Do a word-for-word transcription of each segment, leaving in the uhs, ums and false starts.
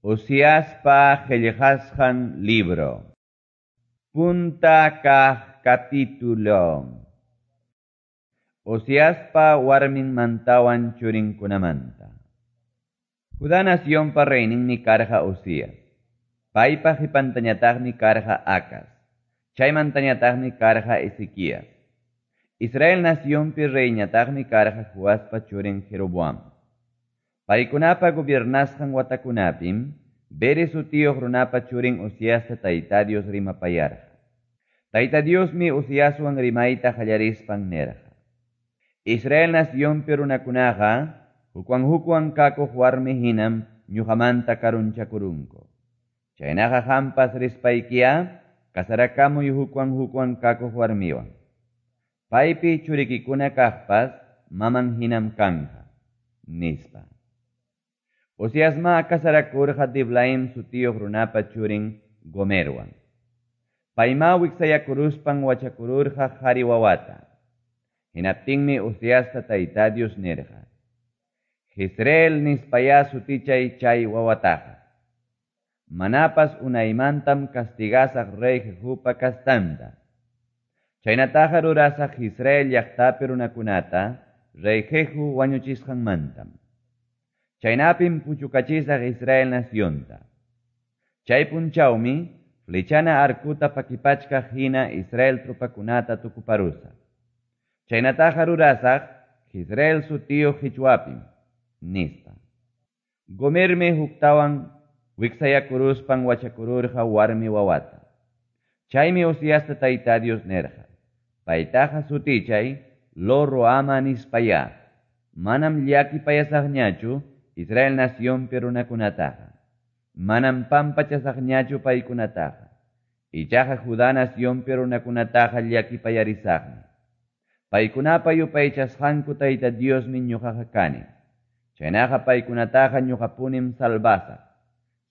Oseaspa qellqasqan libro. Punta kaq capítulo. Oseaspa warminmantawan churinkunamanta. Judá nacionpa reyninmi karqa Osías. Paypa qipantañataqmi karqa Acaz. Chaymantañataqmi karqa Ezequías. Israel nacionpi reyñataqmi karqa Joaspa churin Jeroboam. Paykunapa gobiernasqan watakunapim Beeri sutiyuq runapa churin Oseasta Tayta Dios rimapayarqa. Tayta Diosmi Oseaswan rimayta qallarispan nirqa: Israel nacionpi runakunaqa hukwan hukwan kakuq warmi hinam ñuqamanta karunchakurunku. Chaynaqa qampas rispaykiya kasarakamuy hukwan hukwan kakuq warmiwan. Paypi churikikuna kaqpas maman hinam kanqa, nispa. Oseasma kasarakurqa Diblaim sutiyuq runapa churin Gomerwan. Payma wiksayakuruspan wachakururqa qhari wawata. Hinaptinmi Oseasta Tayta Dios nirqa: Jezreel nispaya sutichay chay wawataqa. Manapas unaymantam castigasaq rey Jehupa kastanta. Chaynataqa rurasaq Israel llaqtapi runakunata rey Jehu wañuchisqanmantam. Chaynapim puchukachisaq Israel nacionta. Chay punchawmi flechana arkuta pakipachkaq hina Israel tropakunata tukuparusaq. Chaynataqa rurasaq Israel sutiyuq hichwapim, nispa. Gomermi huktawan wiksayakuruspan wachakururqa warmi wawata. Chaymi Oseasta Tayta Dios nirqa: Paytaqa sutichay Lo-Ruhama nispaya. Manam llakipayasaqñachu Israel nacionpi runakunataqa. Manam pampachasaqñachu paykunataqa. Ichaqa Judá nacionpi runakunataqa llakipayarisaqmi. Paykunapa yupaychasqanku Tayta Diosmi ñuqaqa kani. Chaynaqa paykunataqa ñuqapunim salvasaq.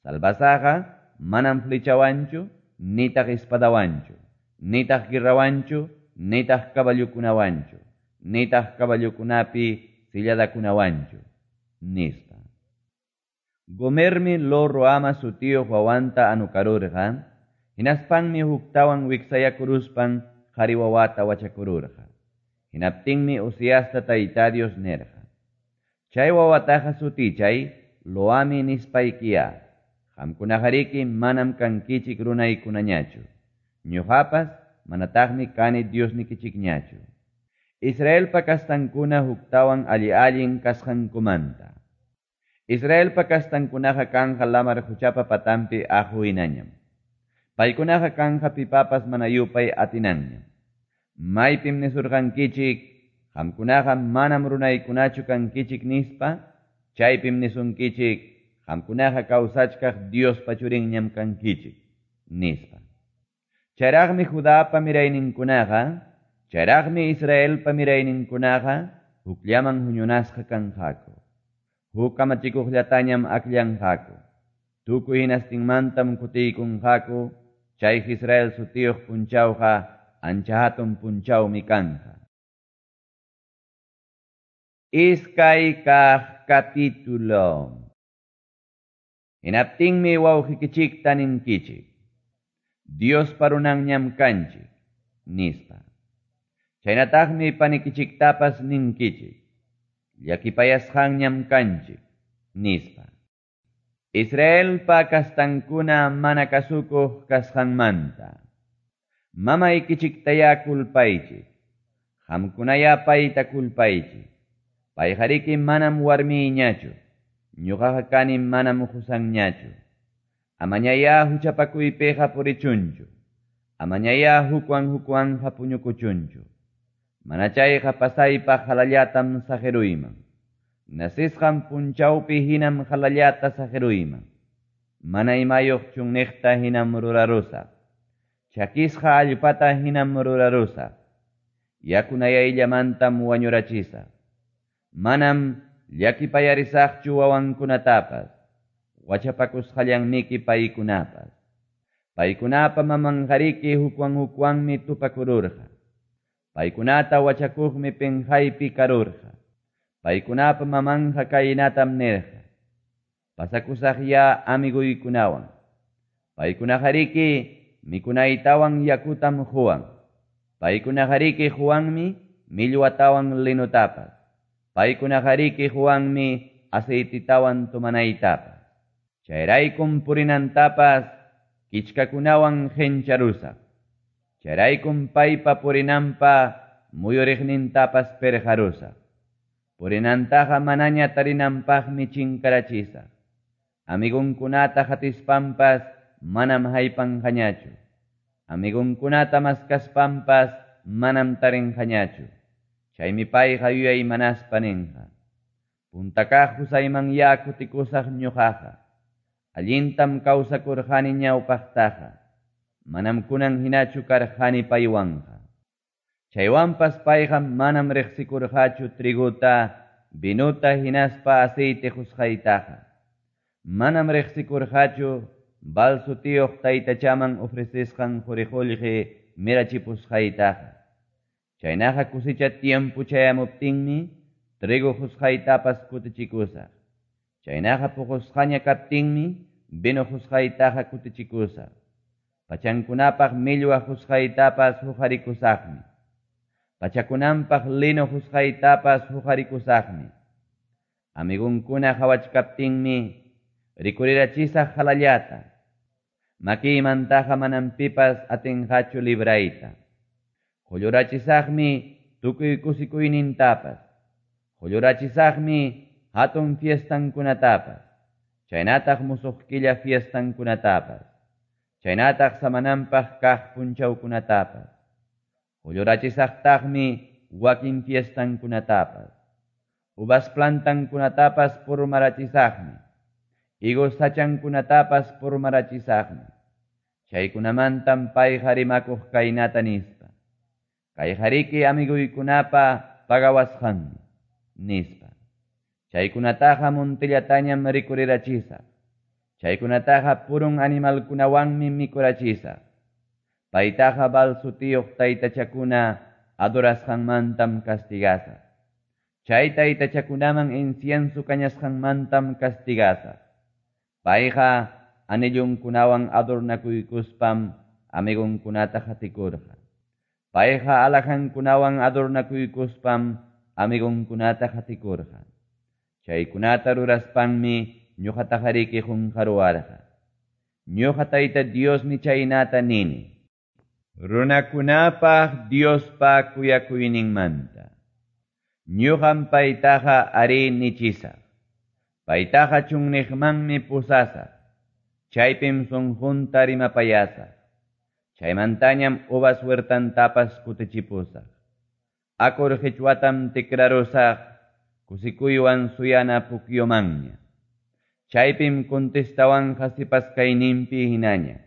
Salvasaqa manam flechawanchu, nitaq espadawanchu, nitaq guerrawanchu, nitaq caballokunawanchu, nitaq caballokunapi silladakunawanchu, nispa. Gomermi Lo-Ruhama sutiyuq wawanta anukarurqa, hinaspanmi huktawan wiksayakuruspan qhari wawata wachakururqa. Hinaptinmi Oseasta Tayta Dios nirqa: Chay wawataqa sutichay Lo-Ami nispaykiya. Qamkunaqariki manam kankichik runaykunañachu. Ñuqapas manataqmi kani Diosnikichikñachu. Israelpa kastankuna huktawan alli-allin kasqankumanta. Israelpa kastankunaqa kanqa lamar quchapa patanpi aqu hinañam. Paykunaqa kanqa pipapas mana yupay atinanñam. Maypim nisurqankichik, qamkunaqa manam runaykunachu kankichik nispa, chaypim nisunkichik, qamkunaqa kawsachkaq Diospa churinñam kankichik, nispa. Chayraqmi Judapa mirayninkunaqa, chayraqmi Israelpa mirayninkunaqa hukllaman huñunasqa kanqaku. Huk kamachikuqllatañam akllanqaku. Tukuy hinastinmantam kutiykunqaku, chay Israel sutiyuq punchawqa ancha hatun punchawmi kanqa. Iskay kaq capítulo. Hinaptinmi wawqikichikta ninkichik: Diospa runanñam kanchik, nispa. Chaynataqmi panikichiktapas ninkichik: Llakipayasqanñam kanchik, nispa. Israelpa kastankuna mana kasukuq kasqanmanta. Mamaykichiktaya kulpaychik. Qamkunaya payta kulpaychik. Payqariki manam warmiyñachu. Ñuqaqa kani manam qusanñachu. Amañaya huchapakuypiqa purichunchu. Amañaya hukwan hukwanqa puñukuchunchu. Mana chayqa pasaypaq halallatam saqiruyman. Nasisqan punchawpi hinam halallata saqiruyman. Mana imayuq chunniqta hinam rurarusaq. Chakisqa allpata hinam rurarusaq. Yakunayayllamantam wañurachisaq. Manam llakipayarisaqchu wawankunatapas, wachapakusqallanmiki paykunapas. Paykunapa mamanqariki hukwan hukwanmi tupakururqa. Paykunata wachakuqmi pinqaypi karurqa. Paykunapa mamanqa kaynatam nirqa: Pasakusaqyá amiguykunawan. Paykunaqariki mikunaytawan yakutam quwan. Paykunaqariki quwanmi millwatawan linotapas. Paykunaqariki quwanmi aceitetawan tomanaytapas. Chayraykum purinantapas kichkakunawan qencharusaq. Chayraykum paypa purinanpa muyuriqnintapas perqarusaq. Purinantaqa manaña tarinanpaqmi chinkarachisaq. Amigunkunata hatispanpas manam haypanqañachu. Amigunkunata maskaspanpas manam tarinqañachu. Chaymi payqa yuyaymanaspa ninqa. Puntakaq qusayman kutikusaq ñuqaqa. Allintam kawsakurqani ñawpaqtaqa. Manam kunan hinachu karqani paywanqa. Chaywanpas payqa manam riqsikurqachu triguta, vinuta hinaspa aceite qusqaytaqa. Manam riqsikurqachu Baal sutiyuq taytachaman ofrecesqan quri-qullqi mirachipusqaytaqa. Chaynaqa kusicha tiempo chayamuptinmi trigo qusqaytapas kutichikusaq. Chaynaqa puqusqaña kaptinmi vino qusqaytaqa kutichikusaq. Pachankunapaq millwa qusqaytapas huqarikusaqmi. Pachakunanpaq lino qusqaytapas huqarikusaqmi. Amigunkuna qhawachkaptinmi rikurirachisaq halallata. Makiymantaqa manam pipas atinqachu librayta. Qullurachisaqmi tukuy kusikuynintapas. Qullurachisaqmi hatun fiestankunatapas. Chaynataq musuq killa fiestankunatapas. Chaynataq samananpaq kaq punchawkunatapas. Qullurachisaqtaqmi wakin fiestankunatapas. Uvas plantankunatapas purmarachisaqmi. Higos sachankunatapas purmarachisaqmi. Chaykunamantam payqa rimakuq kaynata nispa. Kayqariki amiguykunapa pagawasqanmi, nispa. Chaykunataqa montillatañam rikurirachisaq. Chaykunataqa purun animalkunawanmi mikurachisaq. Paytaqa Baal sutiyuq taytachakuna adorasqanmantam castigasaq. Chay taytachakunaman incienso kañasqanmantam castigasaq. Payqa anillunkunawan adornakuykuspam amigunkunata qatikurqa. Payqa alhajankunawan adornakuykuspam amigunkunata qatikurqa. Chaykunata ruraspanmi ñuqataqariki qunqaruwarqa. Ñuqa Tayta Diosmi chaynata nini. Runakunapaq Diospa kuyakuyninmanta. Ñuqam paytaqa ari nichisaq. Paytaqa chunniqmanmi pusasaq. Chaypim sunqunta rimapayasaq. Chaymantañam uvas huertantapas kutichipusaq. Acor qichwatam tikrarusaq kusikuywan suyana pukyumanña. Chaypim contestawanqa sipas kayninpi hinaña.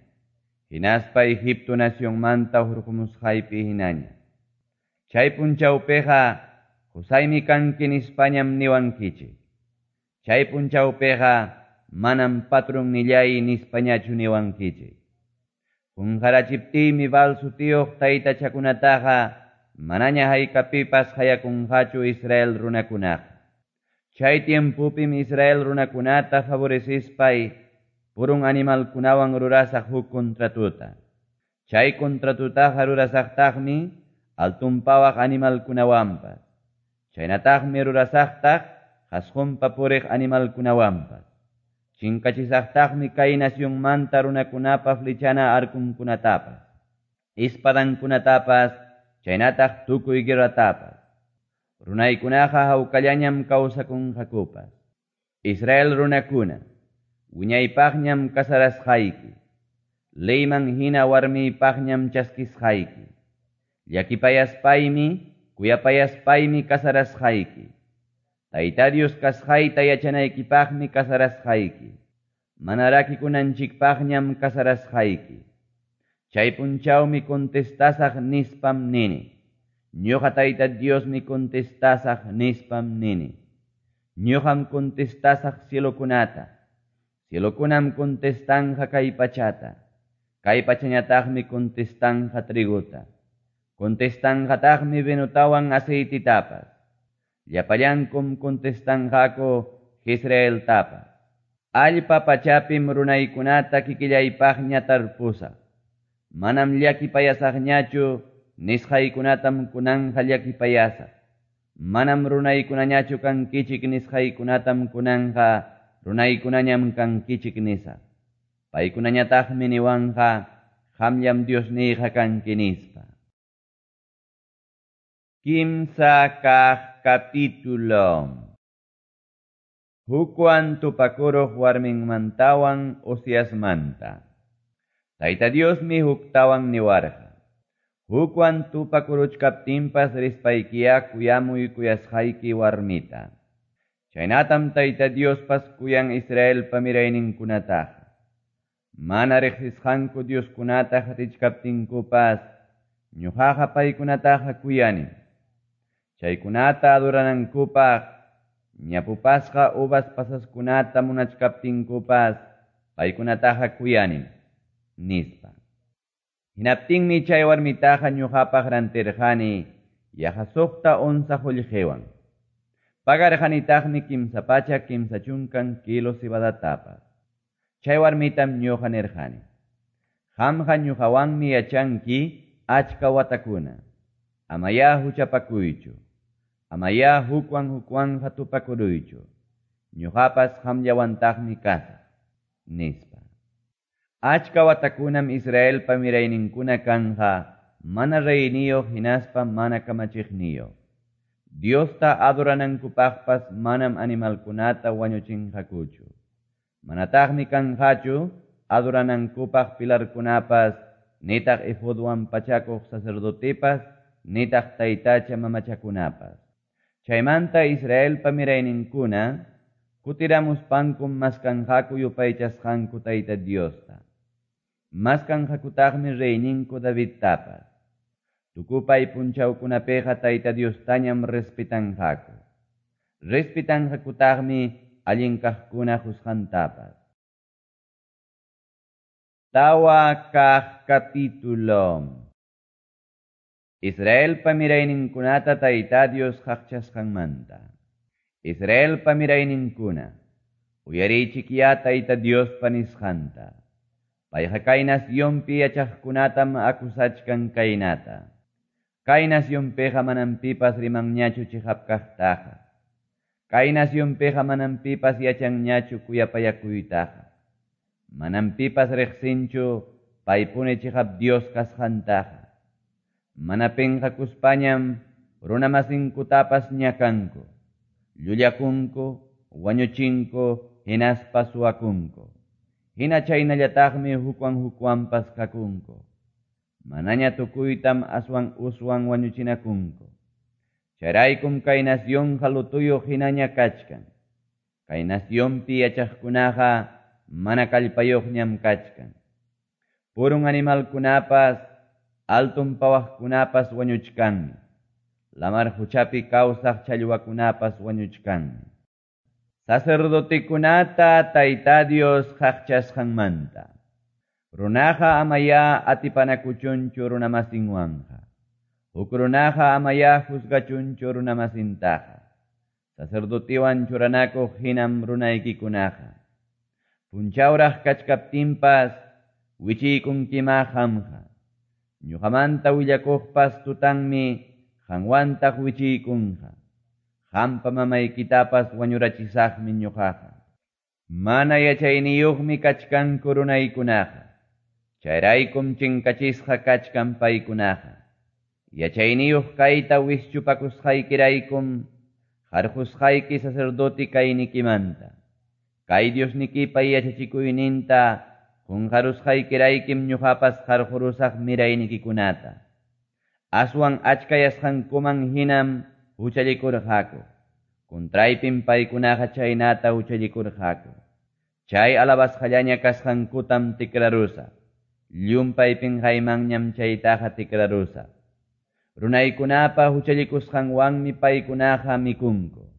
Hinaspa Egipto nacionmanta hurqumusqaypi hinaña. Chay punchawpiqa qusaymi kanki nispañam niwankichik. Chay punchawpiqa manam patrunnillay nispañachu niwankichik. Qunqarachiptiymi Baal sutiyuq taytachakunataqa manaña haykapipas hayakunqachu Israel runakunaqa. Chay tiempupim Israel runakunata favorecispay purun animalkunawan rurasaq huk contratuta. Chay contratutaqa rurasaqtaqmi altunpawaq animalkunawanpas. Chaynataqmi rurasaqtaq qasqunpa puriq animalkunawanpas. Chinkachisaqtaqmi kay nacionmanta runakunapa flechana arkunkunatapas, espadankunatapas, chaynataq tukuy guerratapas. Runaykunaqa hawkallañam kawsakunqakupas. Israel runakuna, wiñaypaqñam kasarasqayki. Leyman hina warmiypaqñam chaskisqayki. Llakipayaspaymi, kuyapayaspaymi kasarasqayki. Tayta Dios kasqayta yachanaykipaqmi kasarasqayki. Mana rakikunanchikpaqñam kasarasqayki. Chay punchawmi contestasaq nispam nini. Ñuqa Tayta Diosmi contestasaq nispam nini. Ñuqam contestasaq cielokunata. Cielokunam contestanja kay pachata. Kay pachañataqmi contestanja triguta. Contestanjataqmi vinotawan aceititapas. Llapallankum contestanqaku Jezreeltapas. Allpa pachapim runaykunata kikillaypaqña tarpusaq. Manam llakipayasaqñachu nisqaykunatam kunanqa llakipayasaq. Manam runaykunañachu kankichik nisqaykunatam kunanqa runaykunañam kankichik nisaq. Paykunañataqmi niwanqa qamllam Diosniyqa kanki nispa. Kimsa kaq capítulo. Hukwan tupakuruq warminmantawan Oseasmanta. Tayta Diosmi huktawan niwarqa. Hukwan tupakuruchkaptinpas rispaykiya kuyamuy kuyasqayki warmita. Chaynatam Tayta Diospas kuyan Israelpa mirayninkunataqa. Mana riqsisqanku Dioskunata qatichkaptinkupas ñuqaqa paykunataqa kuyanim. Chaykunata adoranankupaq ñapupasqa uvas pasaskunata munachkaptinkupas paykunataqa kuyanim, nispa. Hinaptinmi chay warmitaqa ñuqapaq rantirqani yaqa suqta onza qullqiwan. Pagarqanitaqmi kimsa pachak kimsa chunkan kilo cebadatapas. Chay warmitam ñuqa nirqani: Qamqa ñuqawanmi yachanki achka watakuna. Amayá huchapakuychu. Amayá hukwan hukwanqa tupakuruychu. Ñuqapas qamllawantaqmi kasaq, nispa. Achka watakunam Israelpa mirayninkuna kanja mana reyniyuq hinaspa mana kamachiqniyuq. Diosta adoranankupaqpas manam animalkunata wañuchinqakuchu. Manataqmi kanqachu adoranankupaq pilarkunapas, nitaq efodwan pachakuq sacerdotepas, nitaq taytacha mamachakunapas. Chaymanta Israelpa mirayninkuna kutiramuspankum maskanqaku yupaychasqanku Tayta Diosta. Maskanqakutaqmi reyninku Davidtapas. Tukupay punchawkunapiqa Tayta Diostañam respetanqaku. Respetanqakutaqmi allin kaqkuna qusqantapas. Tawa kaq capítulo. Israelpa mirayninkunata Tayta Dios qaqchasqanmanta. Israelpa mirayninkuna, uyariychikyá Tayta Diospa nisqanta. Payqa kay nacionpi yachaqkunatam akusachkan kaynata. Kay nacionpiqa manam pipas rimanñachu chiqap kaqtaqa. Kay nacionpiqa manam pipas yachanñachu kuyapayakuytaqa. Manam pipas riqsinchu paypuni chiqap Dios kasqantaqa. Mana pinqakuspañam runamasinkutapas ñakanku, llullakunku, wañuchinku, hinaspa suwakunku. Hina chaynallataqmi hukwan hukwanpas kakunku. Manaña tukuytam aswan uswan wañuchinakunku. Chayraykum kay nacionqa lutuyuq hinaña kachkan. Kay nacionpi yachaqkunaqa mana kallpayuqñam kachkan. Purun animalkunapas, alton pawaqkunapas wañuchkanmi. Lamar huchapi kawsaq challwakunapas wañuchkanmi. Sacerdotekunata Tayta Dios qaqchasqanmanta. Runaqa amayá atipanakuchunchu runamasinwanqa. Huk runaqa amayá juzgachunchu runamasintaqa. Sacerdotewan churanakuq hinam runaykikunaqa. Punchawraq kachkaptinpas wichiykunkima qamqa. Ñuqamanta willakuqpas tutanmi qanwantaq wichiykunqa. Qampa mamaykitapas wañurachisaqmi ñuqaqa. Mana yachayniyuqmi kachkanku runaykunaqa. Chayraykum chinkachisqa kachkan paykunaqa. Yachayniyuq kayta wischupakusqaykiraykum qarqusqayki sacerdote kaynikimanta. Kay Diosnikipa yachachikuyninta qunqarusqaykiraykim ñuqapas qarqurusaq miraynikikunata. Aswan achkayasqankuman hinam huchallikurqaku. Contraypim paykunaqa chaynata huchallikurqaku. Chay alabasqallaña kasqankutam tikrarusaq. Llumpay pinqaymanñam chaytaqa tikrarusaq. Runaykunapa huchallikusqanwanmi paykunaqa mikunku.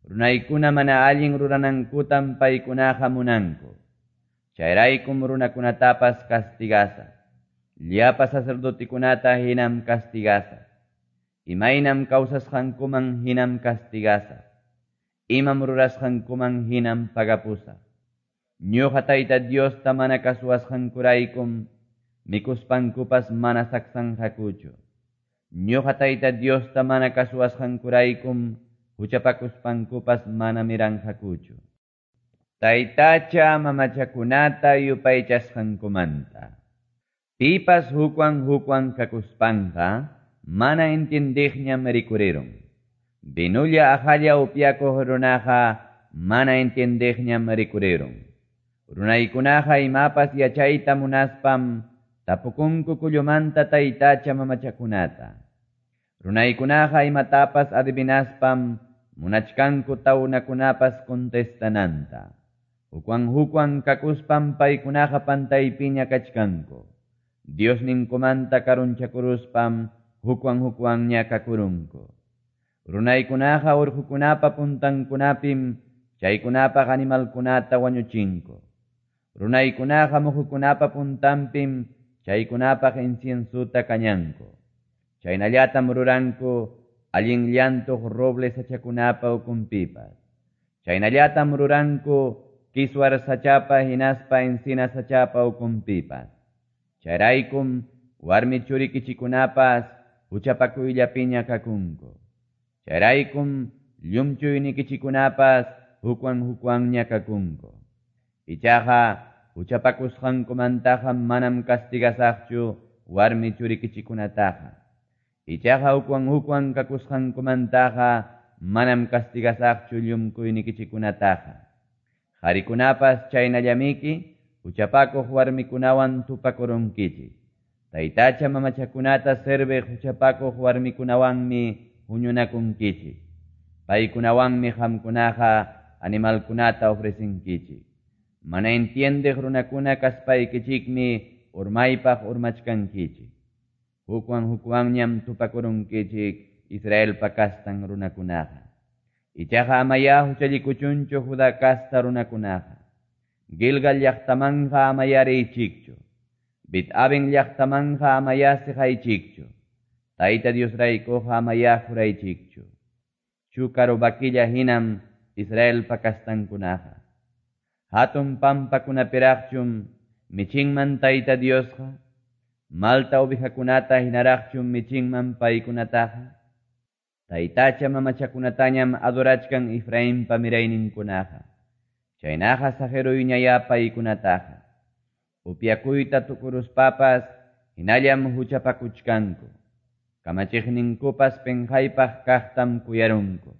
Runaykuna mana allin ruranankutam paykunaqa munanku. Chayraykum runakunatapas castigasaq. Llapa sacerdotekunata hinam castigasaq. Imaynam kawsasqankuman hinam castigasaq. Imam rurasqankuman hinam pagapusaq. Ñuqa Tayta Diosta mana kasuwasqankuraykum mikuspankupas mana saksanqakuchu. Ñuqa Tayta Diosta mana kasuwasqankuraykum huchapakuspankupas mana miranqakuchu. Taytacha mamachakunata yupaychasqankumanta. Pipas hukwan hukwan kakuspanqa mana entiendiqñam rikurirun. Vinulla aqalla upyakuq runaqa mana entiendiqñam rikurirun. Runaykunaqa imapas yachayta munaspam tapukunku kullumanta taytacha mamachakunata. Runaykunaqa imatapas adivinaspam munachkanku tawnakunapas contestananta. Hukwan hukwan kakuspam paykunaqa pantaypiña kachkanku. Diosninkumanta karunchakuruspam hukwan hukwanña kakurunku. Runaykunaqa urqukunapa puntankunapim chaykunapaq animalkunata wañuchinku. Runaykunaqa muhukunapa puntanpim chaykunapaq inciensuta kañanku. Chaynallatam ruranku allin llantuq roble sachakunapa ukunpipas. Chaynallatam ruranku kiswar sachapa hinaspa encina sachapa ukunpipas. Chayraykum warmi churikichikunapas huchapakuyllapiña kakunku. Chayraykum llumchuynikichikunapas hukwan hukwanña kakunku. Ichaqa huchapakusqankumantaqa manam castigasaqchu warmi churikichikunataqa. Ichaqa hukwan hukwan kakusqankumantaqa manam castigasaqchu llumkuynikichikunataqa. Qarikunapas chaynallamiki huchapakuq warmikunawan tupakurunkichik. Taytacha mamachakunata serviq huchapakuq warmikunawanmi huñunakunkichik. Paykunawanmi qamkunaqa animalkunata ofrecinkichik. Mana entiendeq runakuna kaspaykichikmi urmaypaq urmachkankichik. Hukwan hukwanñam tupakurunkichik Israelpa kastan runakunaqa. Ichaqa amaya huchallikuchunchu Judá kasta runakunaqa. Gilgal llaqtamanja amaya riychikchu. Bet-Aven llaqtamanja amaya siqaychikchu. Tayta Diosraykuqa amaya juraychikchu. Chúcaro vaquilla hinam Israelpa kastankunaqa. Hatun pampakunapiraqchum michinman Tayta Diosqa. Malta ovejakunata hinaraqchum michinman paykunataqa. Taytacha mamachakunatañam adorachkan Efrainpa mirayninkunaqa. Chaynaqa saqiruyñaya paykunataqa. Upyakuyta tukuruspapas hinallam huchapakuchkanku. Kamachiqninkupas penqaypaq kaqtam kuyarunku.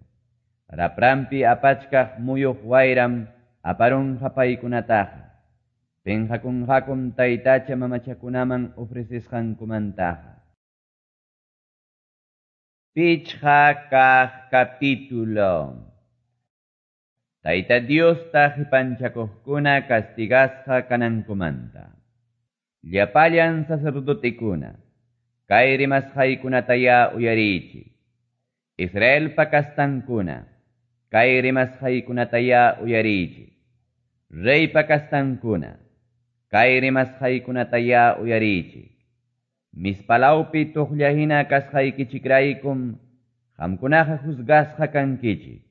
Raprampi apachkaq muyuq wayram aparunqa paykunataqa. Penqakunqakum taytacha mamachakunaman ofrecisqankumantaqa. Pichqa kaq capítulo. Tayta Diosta qipanchakuqkuna castigasqa kanankumanta. Llapallan sacerdotekuna, kay rimasqaykunataya uyariychik. Israelpa kastankuna, kay rimasqaykunataya uyariychik. Reypa kastankuna, kay rimasqaykunataya uyariychik. Mispalawpi tuqllahina kasqaykichikraykum qamkunaqa juzgasqa kankichik.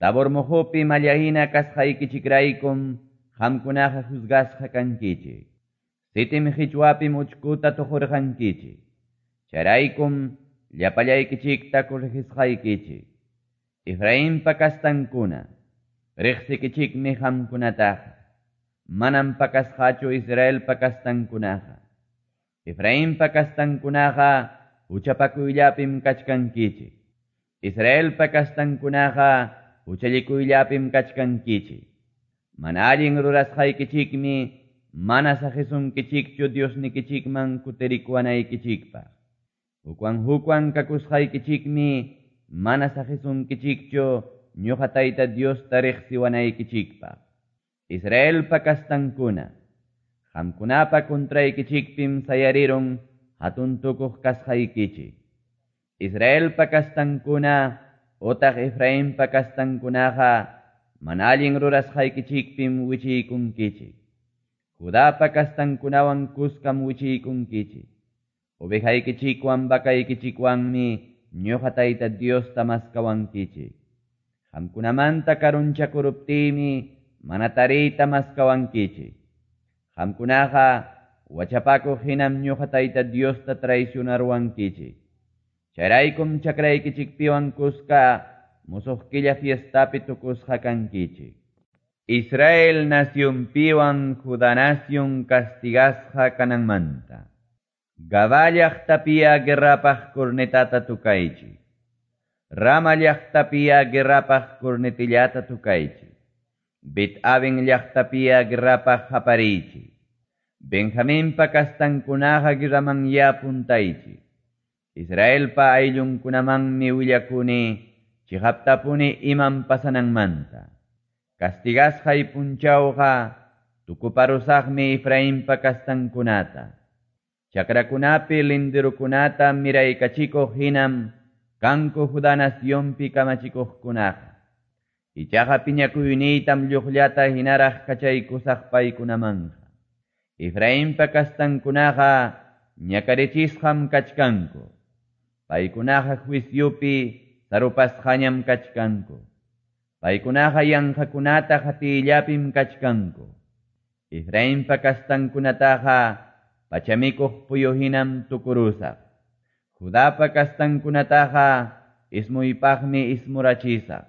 Tabor muhupi mallahina kasqaykichikraykum qamkunaqa juzgasqa kankichik. Sitim qichwapim uchkuta tuqurqankichik. Chayraykum llapallaykichikta corregisqaykichik. Efrainpa kastankuna, riqsikichikmi qamkunataqa. Manam pakasqachu Israelpa kastankunaqa. Efrainpa kastankunaqa huchapakuyllapim kachkankichik. Israelpa kastankunaqa huchallikuyllapim kachkankichik. Mana allin rurasqaykichikmi mana saqisunkichikchu Diosnikichikman kutirikuwanaykichikpaq. Hukwan hukwan kakusqaykichikmi mana saqisunkichikchu ñuqa Tayta Diosta riqsiwanaykichikpaq. Israelpa kastankuna, qamkunapa contraykichikpim sayarirun hatun tukuq kasqaykichik. Israelpa kastankuna otaq Efrainpa kastankunaqa mana allin rurasqaykichikpim wichiykunkichik. Judapa kastankunawan kuskam wichiykunkichik. Ovejaykichikwan vakaykichikwanmi ñuqa Tayta Diosta maskawankichik. Qamkunamanta karunchakuruptiymi mana tariyta maskawankichik. Qamkunaqa wachapakuq hinam ñuqa Tayta Diosta traicionaruwankichik. Chayraykum chakraykichikpiwan kuska musuq killa fiestapi tukusqa kankichik. Israel nacionpiwan Judá nación castigasqa kananmanta. Gabá llaqtapiya guerrapaq cornetata tukaychik. Rama llaqtapiya guerrapaq cornetillata tukaychik. Bet-Aven llaqtapiya guerrapaq hapariychik. Benjaminpa kastankunaqa guerraman ya puntaychik. Israelpa ayllunkunamanmi willakuni chiqaptapuni imam pasananmanta. Castigasqay punchawqa tukuparusaqmi Efrainpa kastankunata. Chakrakunapi linderukunata miraykachikuq hinam kanku Judá nacionpi kamachikuqkunaqa. Ichaqa piñakuyniytam lluqllata hinaraq kachaykusaq paykunamanqa. Efrainpa kastankunaqa ñakarichisqam kachkanku. Paykunaqa juiciopi sarupasqañam kachkanku. Paykunaqa yanqakunata qatiyllapim kachkanku. Efrainpa kastankunataqa pachamikuq puyu hinam tukurusaq. Judapa kastankunataqa ismuypaqmi ismurachisaq.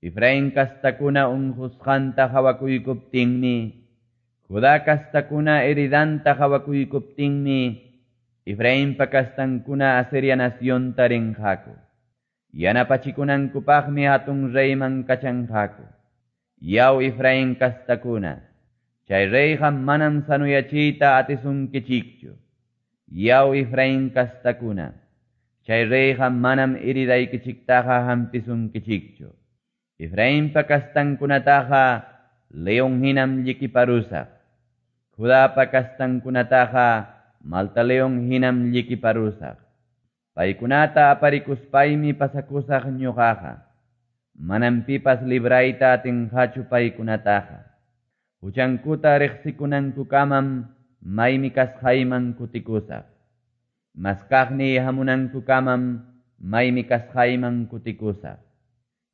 Efrain kastakuna unqusqanta hawakuykuptinmi, Judá kastakuna heridanta hawakuykuptinmi, Efrainpa kastankuna Asiria nacionta rinqaku. Yanapachikunankupaqmi hatun reyman kachanqaku. Yaw Efrain kastakuna, chay reyqa manam sanuyachiyta atisunkichikchu. Yaw Efrain kastakuna, chay reyqa manam heridaykichiktaqa hampisunkichikchu. Efrainpa kastankunataqa león hinam llikiparusaq. Judapa kastankunataqa malta león hinam llikiparusaq. Paykunata aparikuspaymi pasakusaq ñuqaqa. Manam pipas librayta atinqachu paykunataqa. Huchankuta riqsikunankukamam maymi kasqayman kutikusaq. Maskaqniy hamunankukamam maymi kasqayman kutikusaq.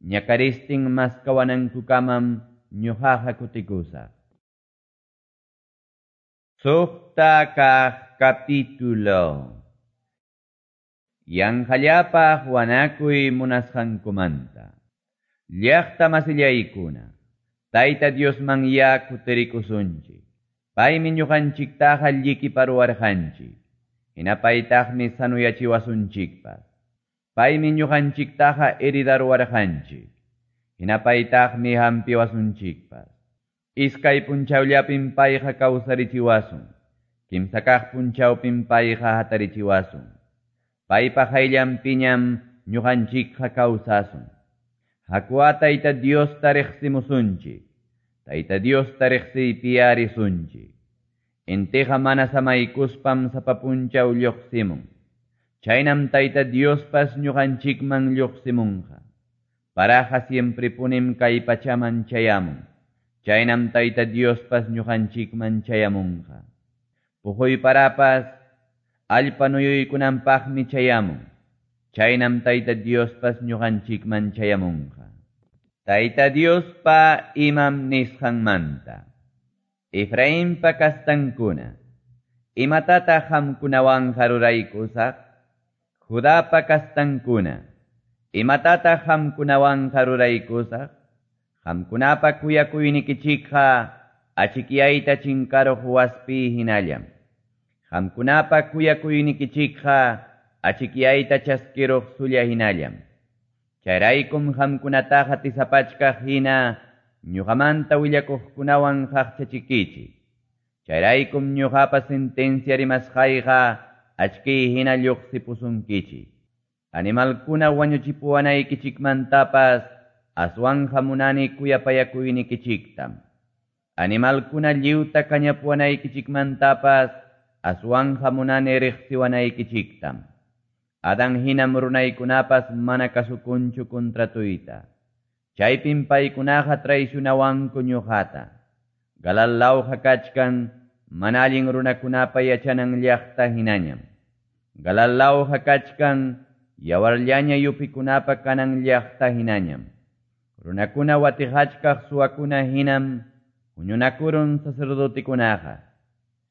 Ñakaristin maskawanankukamam ñuqaqa kutikusaq. Suqta kaq capítulo. Yanqallapaq wanakuy munasqankumanta. Llaqta masillaykuna, Tayta Diosman ya kutirikusunchik. Paymi ñuqanchiktaqa llikiparuwarqanchik. Hinapaytaqmi sanuyachiwasunchikpas. Paymi ñuqanchiktaqa heridaruwarqanchik. Hinapaytaqmi hampiwasunchikpas. Iskay punchawllapim payqa kawsarichiwasun. Kimsa kaq punchawpim payqa hatarichiwasun. Paypa hayllanpiñam ñuqanchikqa kawsasun. Hakuwa Tayta Diosta riqsimusunchik. Tayta Diosta riqsiypiya risunchik. Intiqa mana samaykuspam sapa punchaw lluqsimun. Chaynam Tayta Diospas ñuqanchikman lluqsimunqa. Paraqa siemprepunim kay pachaman chayamun. Chaynam Tayta Diospas ñuqanchikman chayamunqa. Puquy parapas allpa nuyuykunanpaqmi chayamun. Chaynam Tayta Diospas ñuqanchikman chayamunqa. Tayta Diospa imam nisqanmanta. Efrainpa kastankuna, imatataq qamkunawanqa ruraykusaq? Judapa kastankuna, imatataq qamkunawanqa ruraykusaq? Qamkunapa kuyakuynikichikqa achikyayta chinkaruq waspi hinallam. Qamkunapa kuyakuynikichikqa achikyayta chaskiruq sulla hinallam. Chayraykum qamkunataqa tisapachkaq hina ñuqamanta willakuqkunawan qaqchachikichik. Chayraykum ñuqapa sentencia rimasqayqa achkiy hina lluqsipusunkichik. Animalkuna wañuchipuwanaykichikmantapas aswanqa munani kuyapayakuynikichiktam. Animalkuna lliwta kañapuwanaykichikmantapas aswanqa munani riqsiwanaykichiktam. Adán hinam runaykunapas mana kasukunchu contratuyta. Chaypim paykunaqa traicionawanku ñuqata. Galalawqa kachkan mana allin runakunapa yachanan llaqta hinañam. Galalawqa kachkan yawarllaña yupikunapa kanan llaqta hinañam. Runakuna watiqachkaq suwakuna hinam huñunakurun sacerdotekunaqa.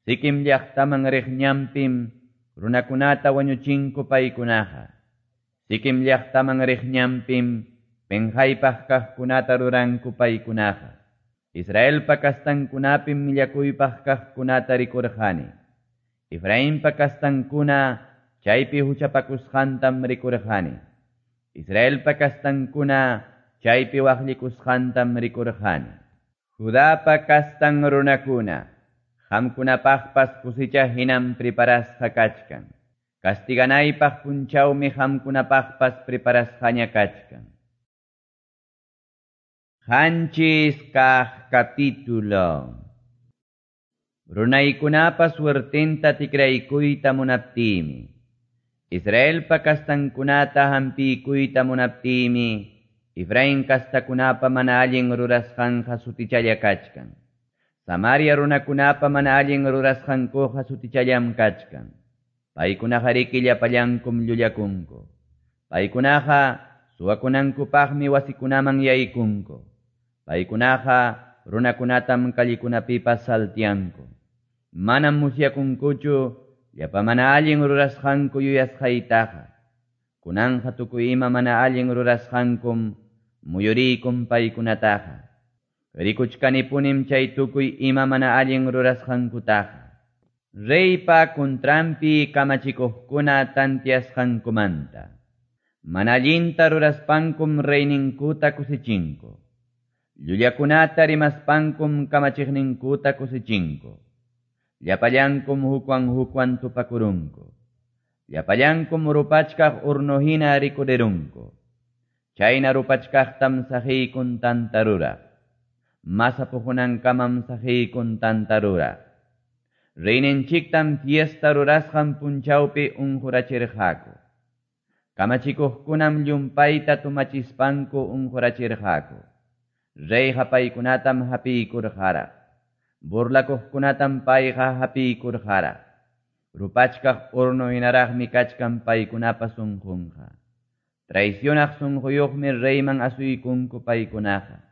Siquem llaqtaman riq ñanpim runakunata wañuchinku paykunaqa. Siquem llaqtaman riq ñanpim penqaypaq kaqkunata ruranku paykunaqa. Israelpa kastankunapim millakuypaq kaqkunata rikurqani. Efrainpa kastankuna chaypi huchapakusqantam rikurqani. Israelpa kastankuna chaypi waqllikusqantam rikurqani. Judapa kastan runakuna, qamkunapaqpas kusicha hinam preparasqa kachkan. Castiganaypaq punchawmi qamkunapaqpas preparasqaña kachkan. Qanchis kaq capítulo. Runaykunapa suertenta tikraykuyta munaptimi. Israelpa kastankunata hampikuyta munaptimi. Efraín kastakunapa mana allin rurasqanqa sutichalla kachkan. Samaria runakunapa mana allin rurasqankuqa sutichallam kachkan. Paykunaqa riki llapallankum llullakunku. Paykunaqa suwakunankupaqmi wasikunaman yaykunku. Paykunaqa runakunatam kallikunapipas saltianku. Manam musyakunkuchu llapa mana allin rurasqanku yuyasqaytaqa. Kunanja tukuy ima mana allin rurasqankum muyuriykum paykunataqa. Rikuchkanipunim chay tukuy ima mana allin rurasqankutaqa. Reypa kuntranpi kamachikuqkuna tantiasqankumanta. Mana allinta ruraspankum reyninkuta kusichinku. Llullakunata rimaspankum kamachiqninkuta kusichinku. Llapallankum hukwan hukwan tupakurunku. Llapallankum rupachkaq urno hina rikurirunku. Chayna rupachkaqtam saqiykun tanta ruraq. Masa puqunankamam saqiykun tanta ruraq. Reyninchiktam fiesta rurasqan punchawpi unqurachirqaku. Kamachikuqkunam llumpayta tumachispanku unqurachirqaku. Reyqa paykunatam hapiykurqaraq. Burlakuqkunatam payqa hapiykurqaraq. Rupachkaq urno hinaraqmi kachkan paykunapa sunqunqa. Traicionaq sunquyuqmi reyman asuykunku paykunaqa.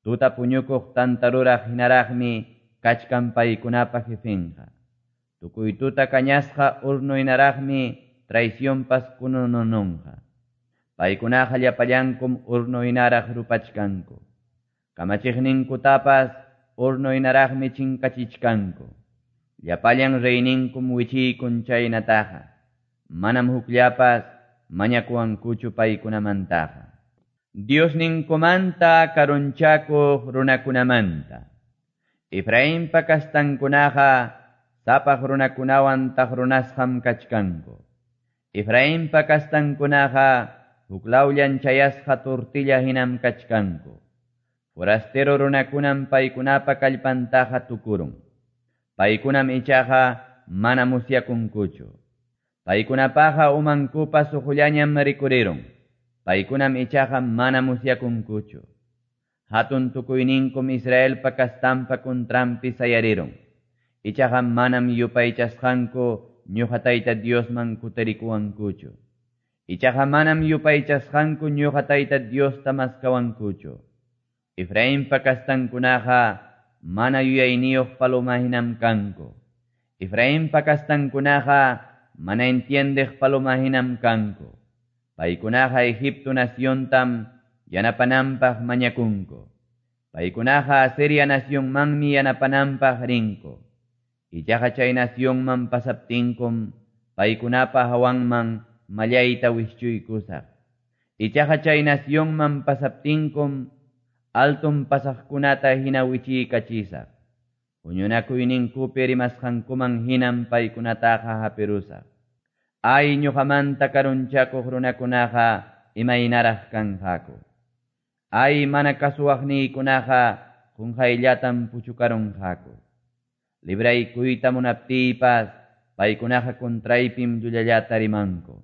Tuta puñukuq tanta ruraq hinaraqmi kachkan paykunapa jefenqa. Tukuy tuta kañasqa urno hinaraqmi traicionpas kununununqa. Paykunaqa llapallankum urno hinaraq rupachkanku. Kamachiqninkutapas urno hinaraqmi chinkachichkanku. Llapallan reyninkum wichiykun chaynataqa. Manam hukllapas mañakuwankuchu paykunamantaqa. Diosninkumanta karunchakuq runakunamanta. Efrainpa kastankunaqa sapaq runakunawan taqrunasqam kachkanku. Efrainpa kastankunaqa huklawllan chayasqa tortilla hinam kachkanku. Forastero runakunam paykunapa kallpantaqa tukurun. Paykunam ichaqa mana musyakunkuchu. Paykunapaqa umankupa suqullañam rikurirun. Paykunam ichaqa mana musyakunkuchu. Hatun tukuyninkum Israelpa kastampa kuntranpi sayarirun. Ichaqa manam yupaychasqanku ñuqa Tayta Diosman kutirikuwankuchu. Ichaqa manam yupaychasqanku ñuqa Tayta Diosta maskawankuchu. Efrainpa kastankunaqa mana yuyayniyuq paloma hinam kanku. Efrainpa kastankunaqa mana entiendeq paloma hinam kanku. Paykunaqa Egipto naciontam yanapananpaq mañakunku. Paykunaqa Asiria nacionmanmi yanapananpaq rinku. Ichaqa chay nacionman pasaptinkum paykunapa hawanman mallayta wischuykusaq. Ichaqa chay nacionman pasaptinkum altum pasaqkunata hina wichiykachisaq. Huñunakuyninkupi rimasqankuman hinam paykunataqa hapirusaq. Ay ñuqamanta karunchakuq runakunaqa imaynaraq kanqaku. Ay mana kasuwaqniykunaqa qunqayllatam puchukarunqaku. Libraykuyta munaptiypas paykunaqa kontraypim llullallata rimanku.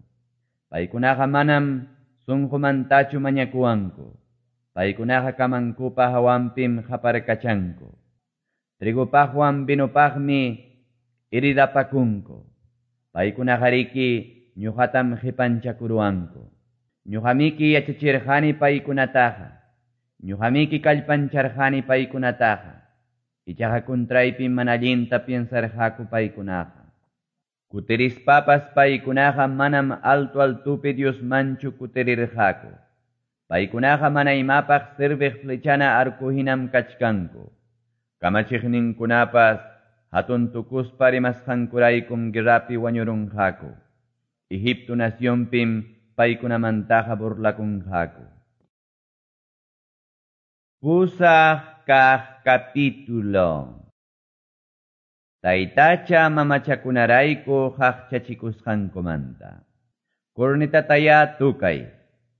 Paykunaqa manam sunqumantachu mañakuwanku. Paykunaqa kamankupa hawanpim qaparkachanku. Trigopaqwan vinopaqmi iridapakunku. Paykunaqariki ñuqatam qipanchakuruwanku. Ñuqamiki yachachirqani paykunataqa. Ñuqamiki kallpancharqani paykunataqa. Ichaqa kuntraypim mana allinta piensarqaku paykunaqa. Kutirispapas paykunaqa manam alto altupi Diosmanchu kutirirqaku. Paykunaqa mana imapaq serviq flechana arco hinam kachkanku. Kamachiqninkunapas hatun tukuspa rimasqankuraykum guerrapi wañurunqaku. Egipto nacionpim paykunamantaqa burlakunqaku. Pusaq kaq capítulo. Taytacha mamachakunarayku qaqchachikusqankumanta. Cornetataya tukay,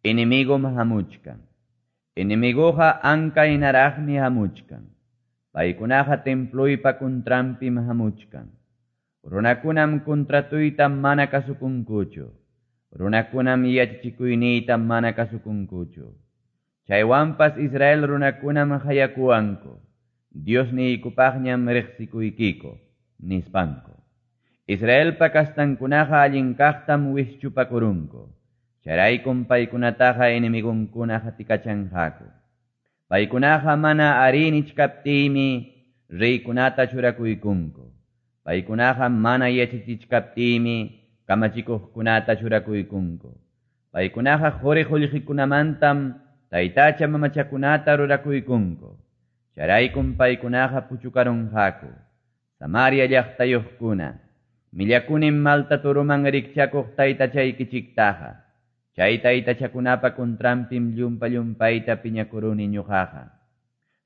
enemigom hamuchkan. Enemiguqa anka hinaraqmi hamuchkan. Paykunaqa temploypa kuntrampim hamuchkan. Runakunam kontratuyta mana kasukunkuchu. Runakunam yachachikuyniyta mana kasukunkuchu. Chaywanpas Israel runakunam hayakuwanku. Diosniykupaqñam riqsikuykiko, nispanku. Israelpa kastankunaqa allin kaqtam wischupakurunku. Chayraykum paykunataqa enemigunkuna hatikachanqaku. Paykunaqa mana arí nichkaptiymi reykunata churakuykunku. Paykunaqa mana yachachichkaptiymi kamachikuqkunata churakuykunku. Paykunaqa quri qullqikunamantam taytacha mamachakunata rurakuykunku. Chayraykum paykunaqa puchukarunqaku. Samaria llaqtayuqkuna, millakunim malta turuman rikchakuq taytachaykichiktaqa. Chay taytachakunapa kuntrampim llumpa llumpayta piñakuruni ñuqaqa.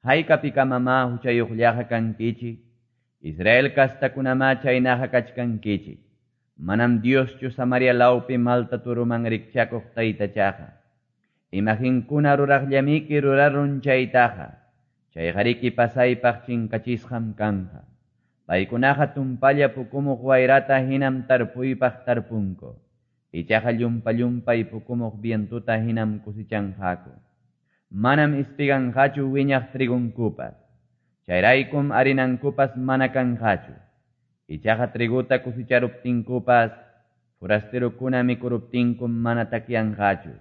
Haykapikamamá huchayuqllaqa kankichik? Israel kastakunamá chaynaqa kachkankichik. Manam Dioschu Samaria lawpi malta turuman rikchakuq taytachaqa. Imaginkuna ruraqllamiki rurarun chaytaqa. Chayqariki pasaypaq chinkachisqam kanqa. Paykunaqa tumpalla pukumuq wayrata hinam tarpuypaq tarpunku. Ichaqa llumpa llumpay pukumuq vientuta hinam kusichanqaku. Manam ispiganqachu wiñaq trigunkupas. Chayraykum harinankupas mana kanqachu. Ichaqa triguta kusicharuptinkupas, forasterokuna mikuruptinkum mana takyanqachu.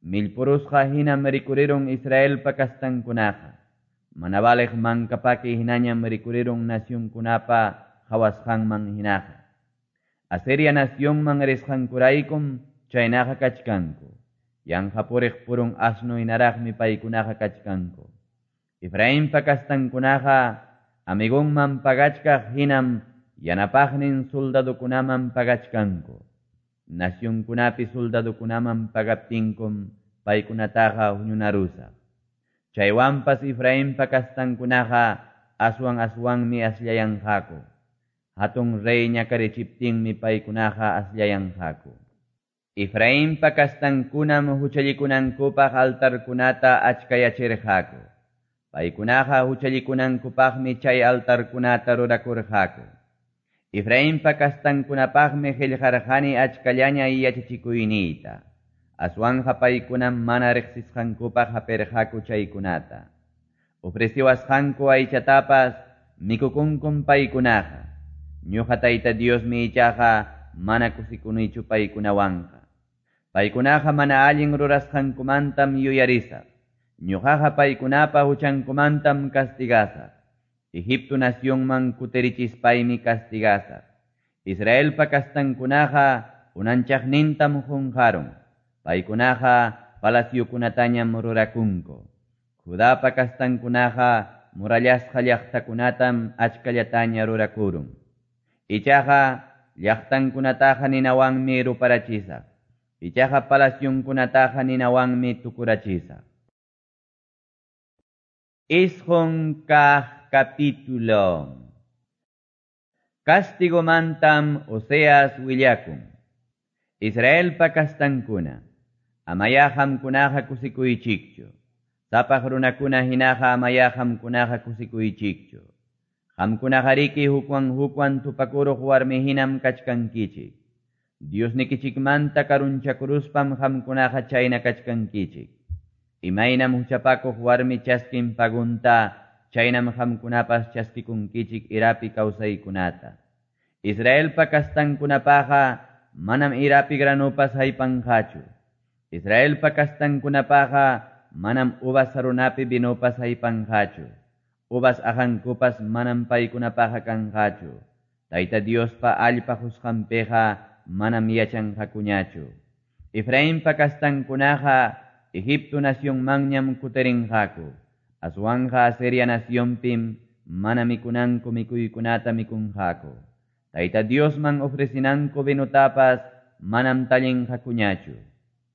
Millpurusqa hinam rikurirun Israelpa kastankunaqa. Mana valeq mankapaki hinañam rikurirun nacionkunapa qhawasqanman hinaqa. Asiria nacionman risqankuraykum chaynaqa kachkanku. Yanqa puriq purun asno hinaraqmi paykunaqa kachkanku. Efrainpa kastankunaqa amigunman pagachkaq hinam yanapaqnin soldadokunaman pagachkanku. Nacionkunapi soldadokunaman pagaptinkum paykunataqa huñunarusaq. Chaywanpas Efrainpa kastankunaqa aswan aswanmi aslayanqaku. Hatun rey ñakarichiptinmi paykunaqa aslayanqaku. Efrainpa kastankunam huchallikunankupaq altarkunata achkayachirqaku. Paykunaqa huchallikunankupaqmi chay altarkunata rurakurqaku. Efrainpa kastankunapaqmi qillqarqani achkallaña yachachikuyniyta. Aswanja paykunam mana riqsisqankupaq hapirqaku chaykunata. Ofreciwasqanku aychatapas mikukunkum paykunaqa. Ñuqa Tayta Diosmi ichaqa mana kusikunichu paykunawanqa. Paykunaqa mana allin rurasqankumantam yuyarisaq. Ñuqaqa paykunapa huchankumantam castigasaq. Egipto nacionman kutirichispaymi castigasaq. Israelpa kastankunaqa unanchaqnintam qunqarun. Paykunaqa palaciokunatañam rurakunku. Judapa kastankunaqa murallasqa llaqtakunatam achkallataña rurakurun. Ichaqa llaqtankunataqa ninawanmi ruparachisaq. Ichaqa palacionkunataqa ninawanmi tukurachisaq. Isqun kaq capítulo. Castigomantam Oseas willakun. Israelpa kastankuna, amaya qamkunaqa kusikuychikchu. Sapaq runakuna hinaqa amaya qamkunaqa kusikuychikchu. Qamkunaqariki hukwan hukwan tupakuruq warmi hinam kachkankichik. Diosnikichikmanta karunchakuruspam qamkunaqa chayna kachkankichik. Imaynam huchapakuq warmi chaskin pagunta, chaynam qamkunapas chaskikunkichik irapi kawsaykunata. Israelpa kastankunapaqa manam irapi granupas haypanqachu. Israelpa kastankunapaqa manam uvas sarunapi vinopas haypanqachu. Uvas aqankupas manam paykunapaqa kanqachu. Tayta Diospa allpa qusqanpiqa manam yachanqakuñachu. Efrainpa kastankunaqa Egipto nacionmanñam kutirinqaku. Aswanqa Asiria nacionpim mana mikunanku mikuykunata mikunqaku. Tayta Diosman ofrecinanku vinotapas manam tallinqakuñachu.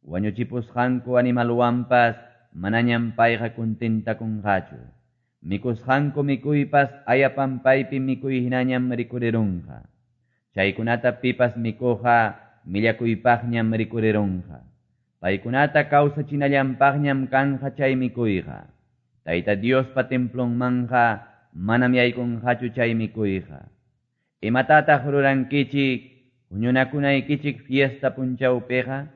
Wañuchipusqanku animalwanpas manañam payqa contentakunqachu. Mikusqanku mikuypas ayapampaypi mikuy hinañam rikurirunqa. Chaykunata pipas mikuqa millakuypaqñam rikurirunqa. Paykunata kawsachinallanpaqñam kanqa chay mikuyqa. Tayta Diospa templonmanqa manam yaykunqachu chay mikuyqa. Imatataq rurankichik huñunakunaykichik fiesta punchawpiqa?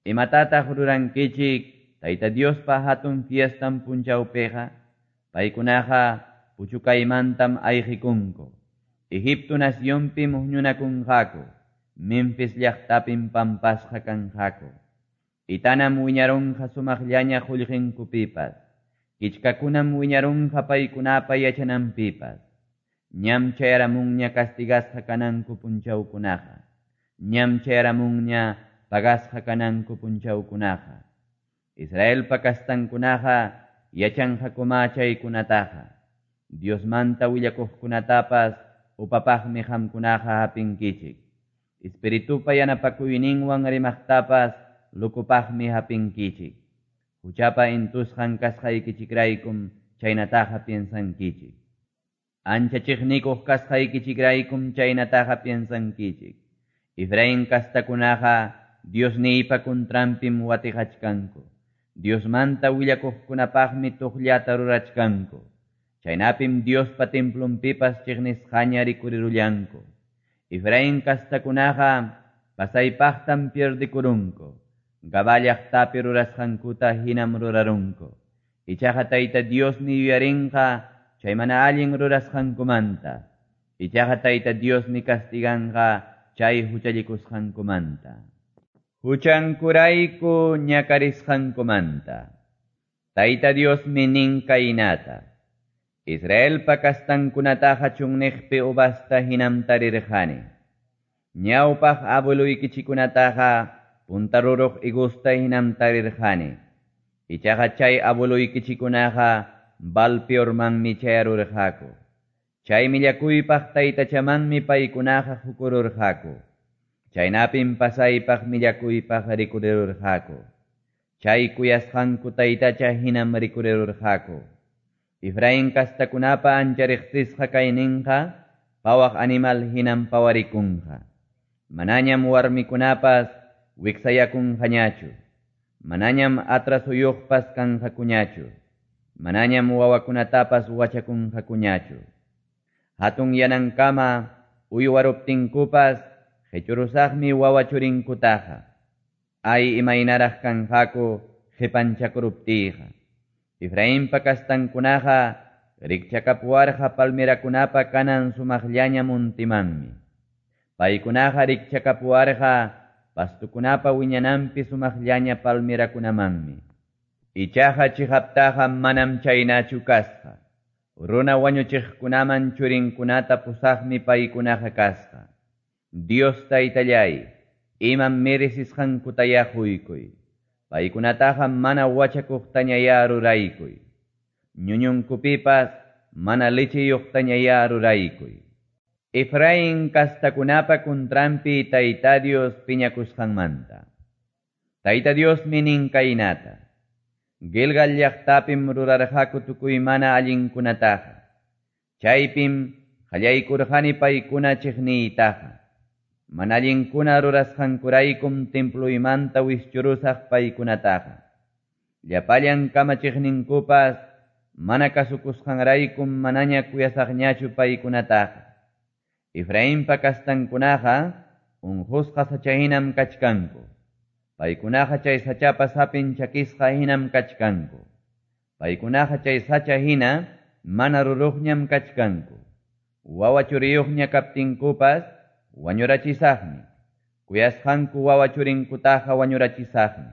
Imatataq rurankichik Tayta Diospa hatun fiestan punchawpiqa? Paykunaqa puchukaymantam ayqikunku. Egipto nacionpim huñunakunqaku. Memphis llaqtapim pampasqa kanqaku. Itanam wiñarunqa sumaqllaña qullqinkupipas. Kichkakunam wiñarunqa paykunapa yachananpipas. Ñam chayaramunña castigasqa kananku punchawkunaqa. Ñam chayaramunña pagasqa kananku punchawkunaqa. Israelpa kastankunaqa yachanqakuma chaykunataqa. Diosmanta willakuqkunatapas upapaqmi qamkunaqa hapinkichik. Espiritupa yanapakuyninwan rimaqtapas lukupaqmi hapinkichik. Huchapa intusqan kasqaykichikraykum chaynataqa piensankichik. Ancha chiqnikuq kasqaykichikraykum chaynataqa piensankichik. Efraín kastakunaqa Diosniypa contranpim watiqachkanku. Diosmanta willakuqkunapaqmi tuqllata rurachkanku. Chaynapim Diospa templonpipas chiqnisqaña rikurirullanku. Efraín kastakunaqa pasaypaqtam pierdikurunku. Gabá llaqtapi rurasqankuta hinam rurarunku. Ichaqa Tayta Diosmi yuyarinqa chay mana allin rurasqankumanta. Ichaqa Tayta Diosmi castiganqa chay huchallikusqankumanta. Huchankurayku ñakarisqankumanta. Tayta Diosmi nin kaynata. Israelpa kastankunataqa chunniqpi uvasta hinam tarirqani. Ñawpaq abueluykichikunataqa puntaruruq higusta hinam tarirqani. Ichaqa chay abueluykichikunaqa Baal-peormanmi chayarurqaku. Chay millakuypaq taytachamanmi paykunaqa hukururqaku. Chaynapim pasaypaq millakuypaq rikurirurqaku. Chay kuyasqanku taytacha hinam rikurirurqaku. Efraín kastakunapa ancha riqsisqa kayninqa pawaq animal hinam pawarikunqa. Manañam warmikunapas wiksayakunqañachu. Manañam atrasuyuqpas kanqakuñachu. Manañam wawakunatapas wachakunqakuñachu. Hatun yanankama uywaruptinkupas qechurusaqmi wawa churinkutaqa. Ay imaynaraq kanqaku qipanchakuruptiyqa. Efrainpa kastankunaqa rikchakapuwarqa palmerakunapa kanan sumaqllaña muntimanmi. Paykunaqa rikchakapuwarqa pastukunapa wiñananpi sumaqllaña palmerakunamanmi. Ichaqa chiqaptaqa manam chaynachu kasqa. Runa wañuchiqkunaman churinkunata pusaqmi paykunaqa kasqa. Dios taytallay, imam merecisqankutaya quykuy. Paykunataqa mana wachakuqtañaya ruraykuy. Ñuñunkupipas mana lecheyuqtañaya ruraykuy. Efraín kastakunapa contranpi Tayta Dios piñakusqanmanta. Tayta Diosmi nin kaynata. Gilgal llaqtapim rurarqaku tukuy mana allinkunataqa. Chaypim qallaykurqani paykuna chiqniytaqa. Mana allinkuna rurasqankuraykum templuymanta wischurusaq paykunataqa. Llapallan kamachiqninkupas mana kasukusqanraykum manaña kuyasaqñachu paykunataqa. Efrainpa kastankunaqa unqusqa sacha hinam kachkanku. Paykunaqa chay sachapa sapin chakisqa hinam kachkanku. Paykunaqa chay sacha hina mana ruruqñam kachkanku. Wawa churiyuqña kaptinkupas wañurachisaqmi. Kuyasqanku wawa churinkutaqa wañurachisaqmi.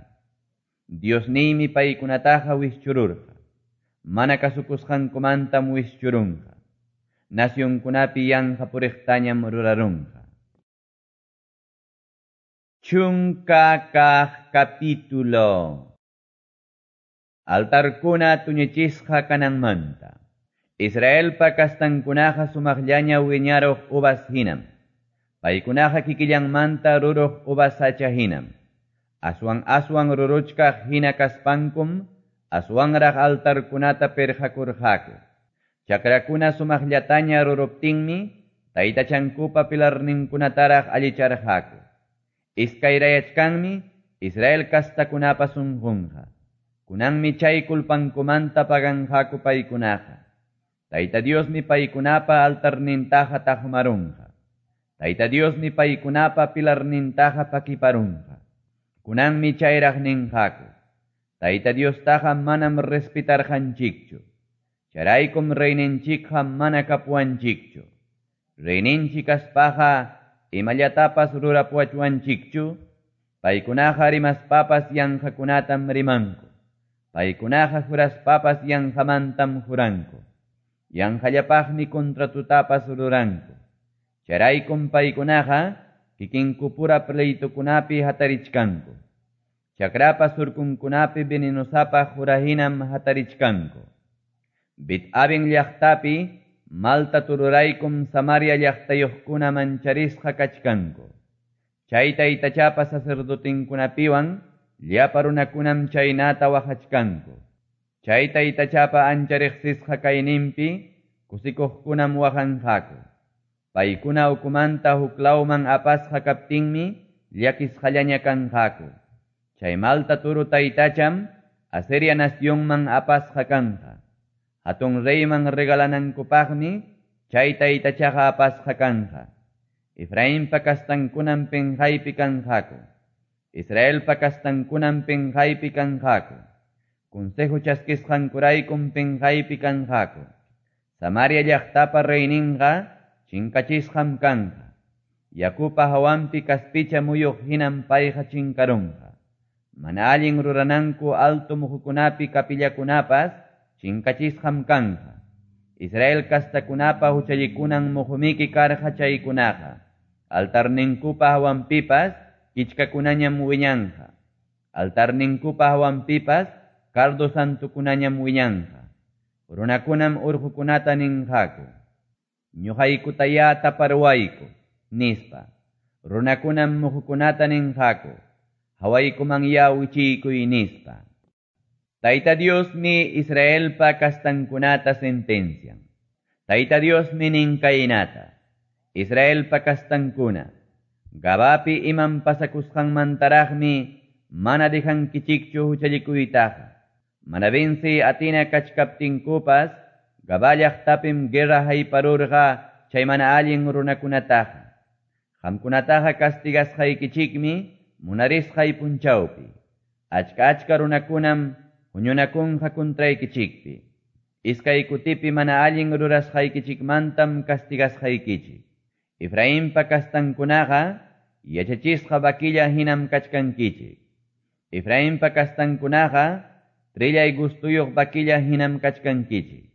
Diosniymi paykunataqa wischururqa. Mana kasukusqankumantam wischurunqa. Nacionkunapi yanqa puriqtañam rurarunqa. Chunka kaq capítulo. Altarkuna tuñichisqa kananmanta. Israelpa kastankunaqa sumaqllaña wiñaruq uvas hinam. Paykunaqa kikillanmanta ruruq uvas sacha hinam. Aswan aswan ruruchkaq hina kaspankum, aswanraq altarkunata pirqakurqaku. Chakrakuna sumaqllataña ruruptinmi, taytachankupa pilarninkunataraq allicharqaku. Iskayrayachkanmi Israel kastakunapa sunqunqa. Kunanmi chay kulpankumanta paganqaku paykunaqa. Tayta Diosmi paykunapa altarnintaqa taqmarunqa. Tayta Diosmi paykunapa pilarnintaqa pakiparunqa. Kunanmi chayraq ninqaku. Tayta Diostaqa manam respetarqanchikchu. Chayraykum reyninchikqa mana kapuwanchikchu. Reyninchik kaspaqa imallatapas rurapuwachwanchikchu. Paykunaqa rimaspapas yanqakunatam rimanku. Paykunaqa juraspapas yanqamantam juranku. Yanqallapaqmi contratutapas ruranku. Chayraykum paykunaqa kikinkupura pleitukunapi hatarichkanku. Chakrapa surkunkunapi venenosapa jurahinam hatarichkanku. Bet-Aven llaqtapi malta tururaykum Samaria llaqtayuqkuna mancharisqa kachkanku. Chay taytachapa sacerdotinkunapiwan llapa runakunam chaynata waqachkanku. Chay taytachapa ancha riqsisqa kayninpi kusikuqkunam waqanqaku. Paykuna ukumanta huklawman apasqa kaptinmi llakisqallaña kanqaku. Chay malta turu taytacham Asiria nacionman apasqa kanqa. Hatun reyman regalanankupaqmi chay taytachaqa apasqa kanqa. Efrainpa kastankunam penqaypi kanqaku. Israelpa kastankunam penqaypi kanqaku. Consejo chaskisqankuraykum penqaypi kanqaku. Samaria llaqtapa reyninqa chinkachisqam kanqa. Yakupa hawanpi kaspicha muyuq hinam payqa chinkarunqa. Mana allin rurananku alto muhukunapi kapillakunapas chinkachisqam kanqa. Israel kastakunapa huchallikunan muhumiki karqa chaykunaqa. Altarninkupa hawanpipas kichkakunañam wiñanqa. Altarninkupa hawanpipas cardo santukunañam wiñanqa. Runakunam urqukunata ninqaku. Ñuqaykutaya taparwayku, nispa. Runakunam muhukunata ninqaku. Hawaykuman ya wichiykuy nispa. Tayta Diosmi Israelpa kastankunata sentencian. Tayta Diosmi nin kaynata. Israelpa kastankuna. Gabapi imam pasakusqanmantaraqmi mana dejankichikchu huchallikuytaqa. Mana venci atina kachkaptinkupas Gabá llaqtapim guerra hayparurqa chay mana allin runakunataqa. Qamkunataqa castigasqaykichikmi munarisqay punchawpi. Achka achka runakunam huñunakunqa contraykichikpi. Iskay kutipi mana allin rurasqaykichikmantam castigasqaykichik. Efrainpa kastankunaqa yachachisqa vaquilla hinam kachkankichik. Efrainpa kastankunaqa trillay gustuyuq vaquilla hinam kachkankichik.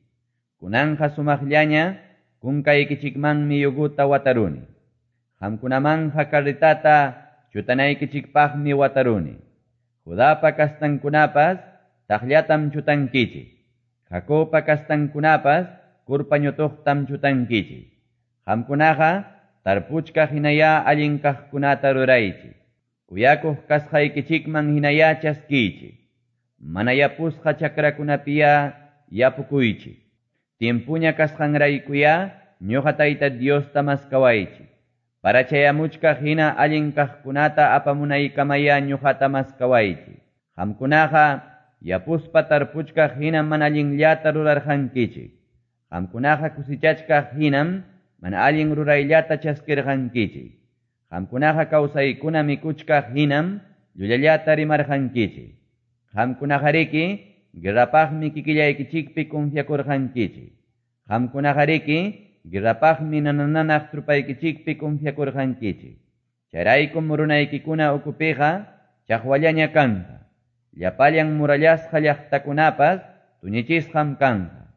Kunanqa sumaqllaña kunkaykichikmanmi yuguta wataruni. Qamkunamanja carretata chutanaykichikpaqmi wataruni. Judapa kastankunapas taqllatam chutankichik. Jacobpa kastankunapas kurpañutuqtam chutankichik. Qamkunaqa tarpuchkaq hinaya allin kaqkunata ruraychik. Kuyakuq kasqaykichikman hinaya chaskiychik. Mana yapusqa chakrakunapiya yapukuychik. Tiempuña kasqanraykuya ñuqa Tayta Diosta maskawaychik. Para chayamuchkaq hina allin kaqkunata apamunaykamaya ñuqata maskawaychik. Qamkunaqa yapuspa tarpuchkaq hinam mana allinllata rurarqankichik. Qamkunaqa kusichachkaq hinam mana allin rurayllata chaskirqankichik. Qamkunaqa kawsaykuna mikuchkaq hinam llullallata rimarqankichik. Qamkunaqariki guerrapaqmi kikillaykichikpi confiakurqankichik. Qamkunaqariki guerrapaqmi nanananaq trupaykichikpi confiakurqankichik. Chayraykum runaykikuna ukupiqa chaqwallaña kanqa. Llapallan murallasqa llaqtakunapas tuñichisqam kanqa.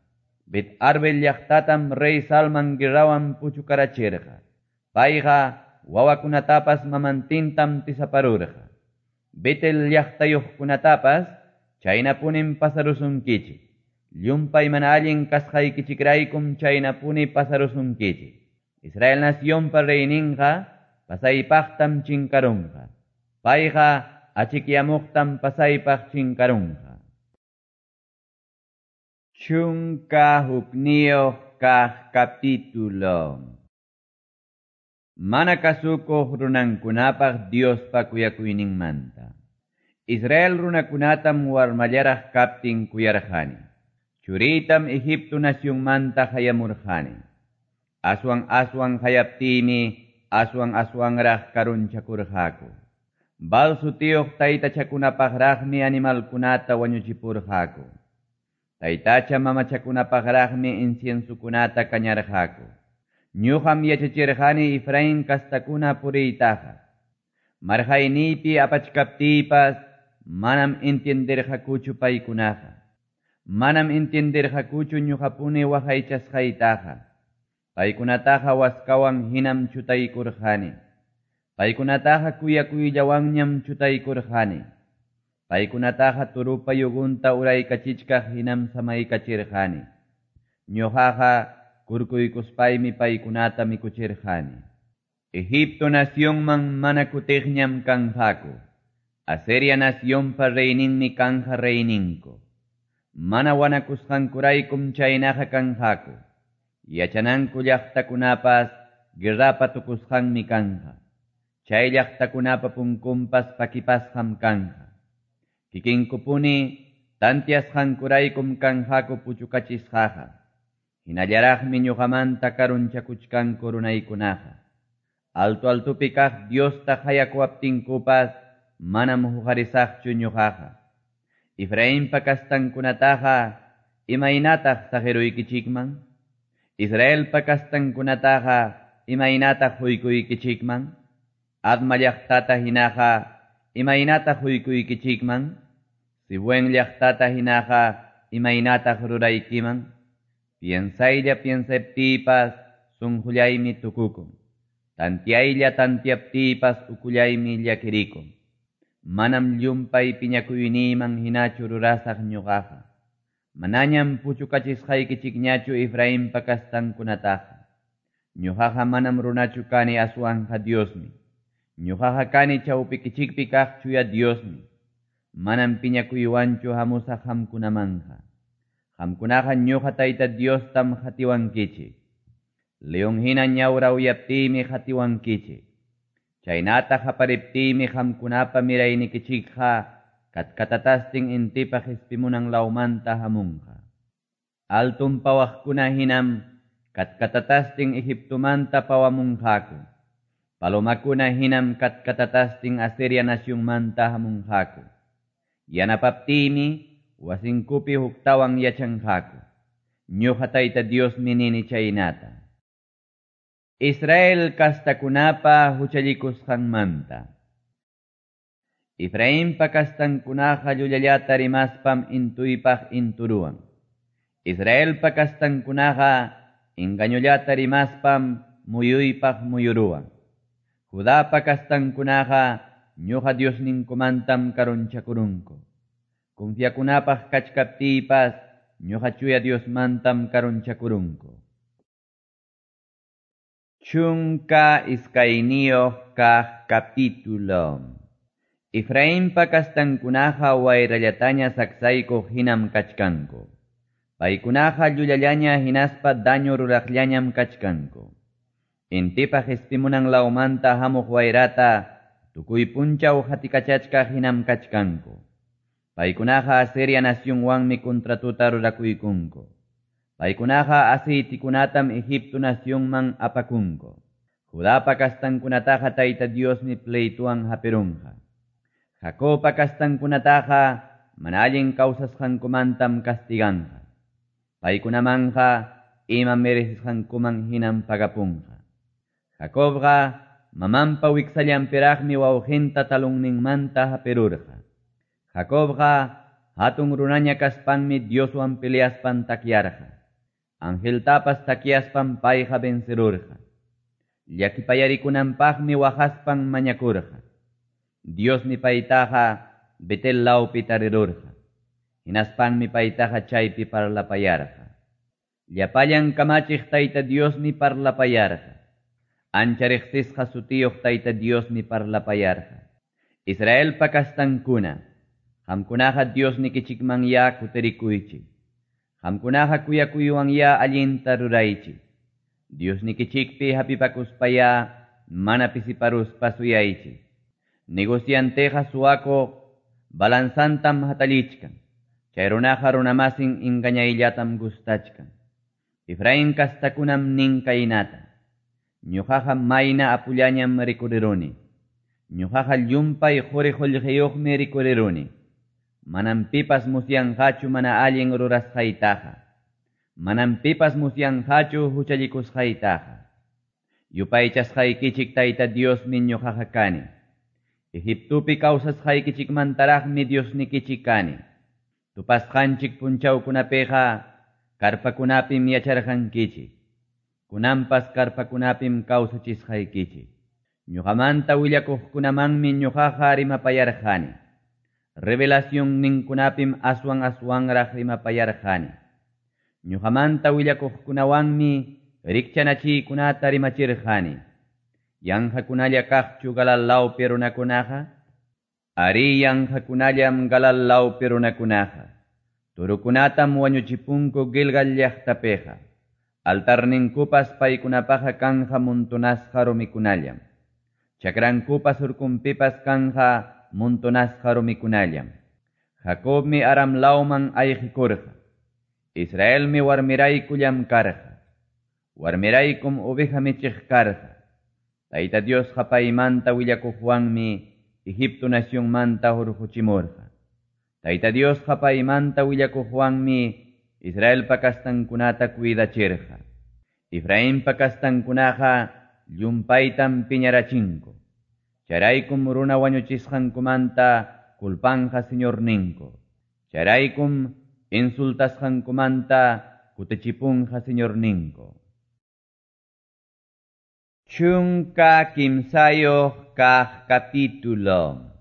Bet-arbel llaqtatam rey Salman guerrawan puchukarachirqa. Payqa wawakunatapas mamantintam tisaparurqa. Betel llaqtayuqkunatapas chaynapunim pasarusunkichik. Llumpay mana allin kasqaykichikraykum chaynapuni pasarusunkichik. Israel nacionpa reyninqa pasaypaqtam chinkarunqa. Payqa achikyamuqtam pasaypaq chinkarunqa. Chunka hukniyuq kaq capítulo. Mana kasukuq runankunapaq Diospa kuyakuyninmanta. Israel runakunatam warmallaraq kaptin kuyarqani. Churitam Egipto nacionmanta hayamurqani. Aswan aswan hayaptimi, aswan aswanraq karunchakurqaku. Baal sutiyuq taytachakunapaqraqmi animalkunata wañuchipurqaku. Taytacha mamachakunapaqraqmi inciensukunata kañarqaku. Ñuqam yachachirqani Efraín kastakuna puriytaqa. Marqayniypi apachkaptiypas manam entienderqakuchu paykunaqa. Manam entienderqakuchu ñuqapuni waqaychasqaytaqa. Paykunataqa waskawan hinam chutaykurqani. Paykunataqa kuyakuyllawanñam chutaykurqani. Paykunataqa turupa yugunta uraykachichkaq hinam samaykachirqani. Ñuqaqa kurkuykuspaymi paykunata mikuchirqani. Egipto nacionman mana kutiqñam kanqaku. Asiria nacionpa reyninmi kanja reyninku. Mana wanakusqankuraykum chaynaqa kanqaku. Yachananku llaqtakunapas guerrapa tukusqanmi kanja. Chay llaqtakunapa punkunpas pakipasqam kanja. Kikinkupuni tantiasqankuraykum kanqaku puchukachisqaqa. Hinallaraqmi ñuqamanta karunchakuchkanku runaykunaqa. Alto altupi kaq Diosta hayakuwaptinkupas manam huqarisaqchu ñuqaqa. Efrainpa kastankunataqa imaynataq saqiruykichikman? Israelpa kastankunataqa imaynataq huykuykichikman? Adma llaqtata hinaqa imaynataq huykuykichikman? Sibuen llaqtata hinaqa imaynataq ruraykiman? Piensaylla piensaptiypas sunqullaymi tukukun. Tantiaylla tantiaptiypas ukullaymi llakirikun. Manam llumpay piñakuyniyman hinachu rurasaq ñuqaqa. Manañam puchukachisqaykichikñachu Efrainpa kastankunataqa. Ñuqaqa manam runachu kani aswanqa Diosmi. Ñuqaqa kani chawpikichikpi kaq chuya Diosmi. Manam piñakuywanchu hamusaq qamkunamanja. Qamkunaqa ñuqa Tayta Diostam qatiwankichik. León hina ñawra uyaptiymi qatiwankichik. Chaynata qapariptiymi qamkunapa miraynikichikqa katkatatastin intipa qispimunan lawmanta hamunqa. Altun pawaqkuna hinam katkatatastin Egiptomanta pawamunqaku. Palomakuna hinam katkatatastin Asiria nacionmanta hamunqaku. Yanapaptiymi wasinkupi huktawan yachanqaku. Ñuqa Tayta Diosmi nini chaynata. Israel kastakunapa huchallikusqanmanta. Efrainpa kastankunaqa llullallata rimaspam intuypaq inturuwan. Israelpa kastankunaqa engañollata rimaspam muyuypaq muyuruwan. Judapa kastankunaqa ñuqa Diosninkumantam karunchakurunku. Confiakunapaq kachkaptiypas ñuqa chuya Diosmantam karunchakurunku. Chunka iskayniyuq kaq capítulo. Efrainpa kastankunaqa wayrallataña saksaykuq hinam kachkanku. Paykunaqa llullallaña hinaspa daño ruraqllañam kachkanku. Intipa qispimunan lawmanta hamuq wayrata tukuy punchaw hatikachachkaq hinam kachkanku. Paykunaqa Asiria nacionwanmi contratuta rurakuykunku. Paykunaqa aceitikunatam Egipto nacionman apakunku. Judapa kastankunataqa Tayta Diosmi pleituan hapirunqa. Jacobpa kastankunataqa mana allin kawsasqankumantam castiganqa. Paykunamanja ima merecisqankuman hinam pagapunqa. Jacobqa mamanpa wiksallanpiraqmi wawqinta talunninmanta hapirurqa. Jacobqa hatun runaña kaspanmi Dioswan peleaspan takyarqa. Angeltapas takyaspan payqa vencerurqa. Llakipayarikunanpaqmi waqaspan mañakurqa. Diosmi paytaqa Betel lawpi tarirurqa. Hinaspanmi paytaqa chaypi parlapayarqa. Llapallan kamachiq Tayta Diosmi parlapayarqa. Ancha riqsisqa sutiyuq Tayta Diosmi parlapayarqa. Israelpa kastankuna, qamkunaqa Diosnikichikmanyá kutirikuychik. Qamkunaqa kuyakuywan-ya allinta ruraychik. Diosnikichikpi hapipakuspayá mana pisiparuspa suyaychik. Negocianteqa suwakuq balanzantam hatallichkan. Chay runaqa runamasin engañayllatam gustachkan. Efraín kastakunam nin kaynata. Ñuqaqa mayna apullañam rikuriruni. Ñuqaqa llumpay quri qullqiyuqmi rikuriruni. Manam pipas musyanqachu mana allin rurasqaytaqa. Manam pipas musyanqachu huchallikusqaytaqa. Yupaychasqaykichik Tayta Diosmi ñuqaqa kani. Egiptopi kawsasqaykichikmantaraqmi Diosnikichik kani. Tupasqanchik punchawkunapiqa karpakunapim yacharqankichik. Kunanpas karpakunapim kawsachisqaykichik. Ñuqamanta willakuqkunamanmi ñuqaqa rimapayarqani. Revelación ninkunapim aswan aswanraq rimapayarqani. Ñuqamanta willakuqkunawanmi rikchanachiykunata rimachirqani. Yanqakunalla kaqchu Galaad runakunaqa? Arí, yanqakunallam Galaad runakunaqa. Turukunatam wañuchipunku Gilgal llaqtapiqa. Altarninkupas paykunapaqa kanja montonasqa rumikunallam. Chakrankupas urkunpipas kanja montonasqa rumikunallam. Jacobmi Aram lawman ayqikurqa. Israelmi warmirayku llamkarqa. Warmiraykum oveja michiq karqa. Tayta Diosqa paymanta willakuqwanmi Egipto nacionmanta hurquchimurqa. Tayta Diosqa paymanta willakuqwanmi Israelpa kastankunata cuidachirqa. Efrainpa kastankunaqa llumpaytam piñarachinku. Chayraykum runa wañuchisqankumanta culpanja Señorninku. Chayraykum insultasqankumanta kutichipunqa Señorninku. Chunka kimsayuq kaq capítulo.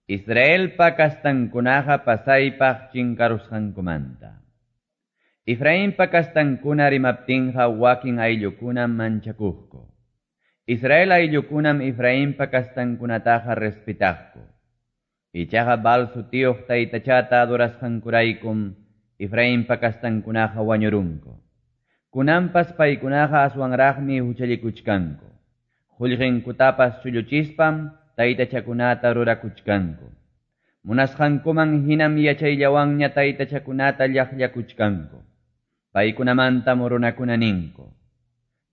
Israelpa kastankunaqa pasaypaq chinkarusqankumanta. Efrainpa kastankuna rimaptinqa wakin ayllukunam manchakuqku. Israel ayllukunam Efrainpa kastankunataqa respetaqku. Ichaqa Baal sutiyuq taytachata adorasqankuraykum Efrainpa kastankunaqa wañurunku. Kunanpas paykunaqa aswanraqmi huchallikuchkanku. Qullqinkutapas chulluchispam taytachakunata rurakuchkanku. Munasqankuman hinam yachayllawanña taytachakunata llaqllakuchkanku. Paykunamantam runakuna ninku.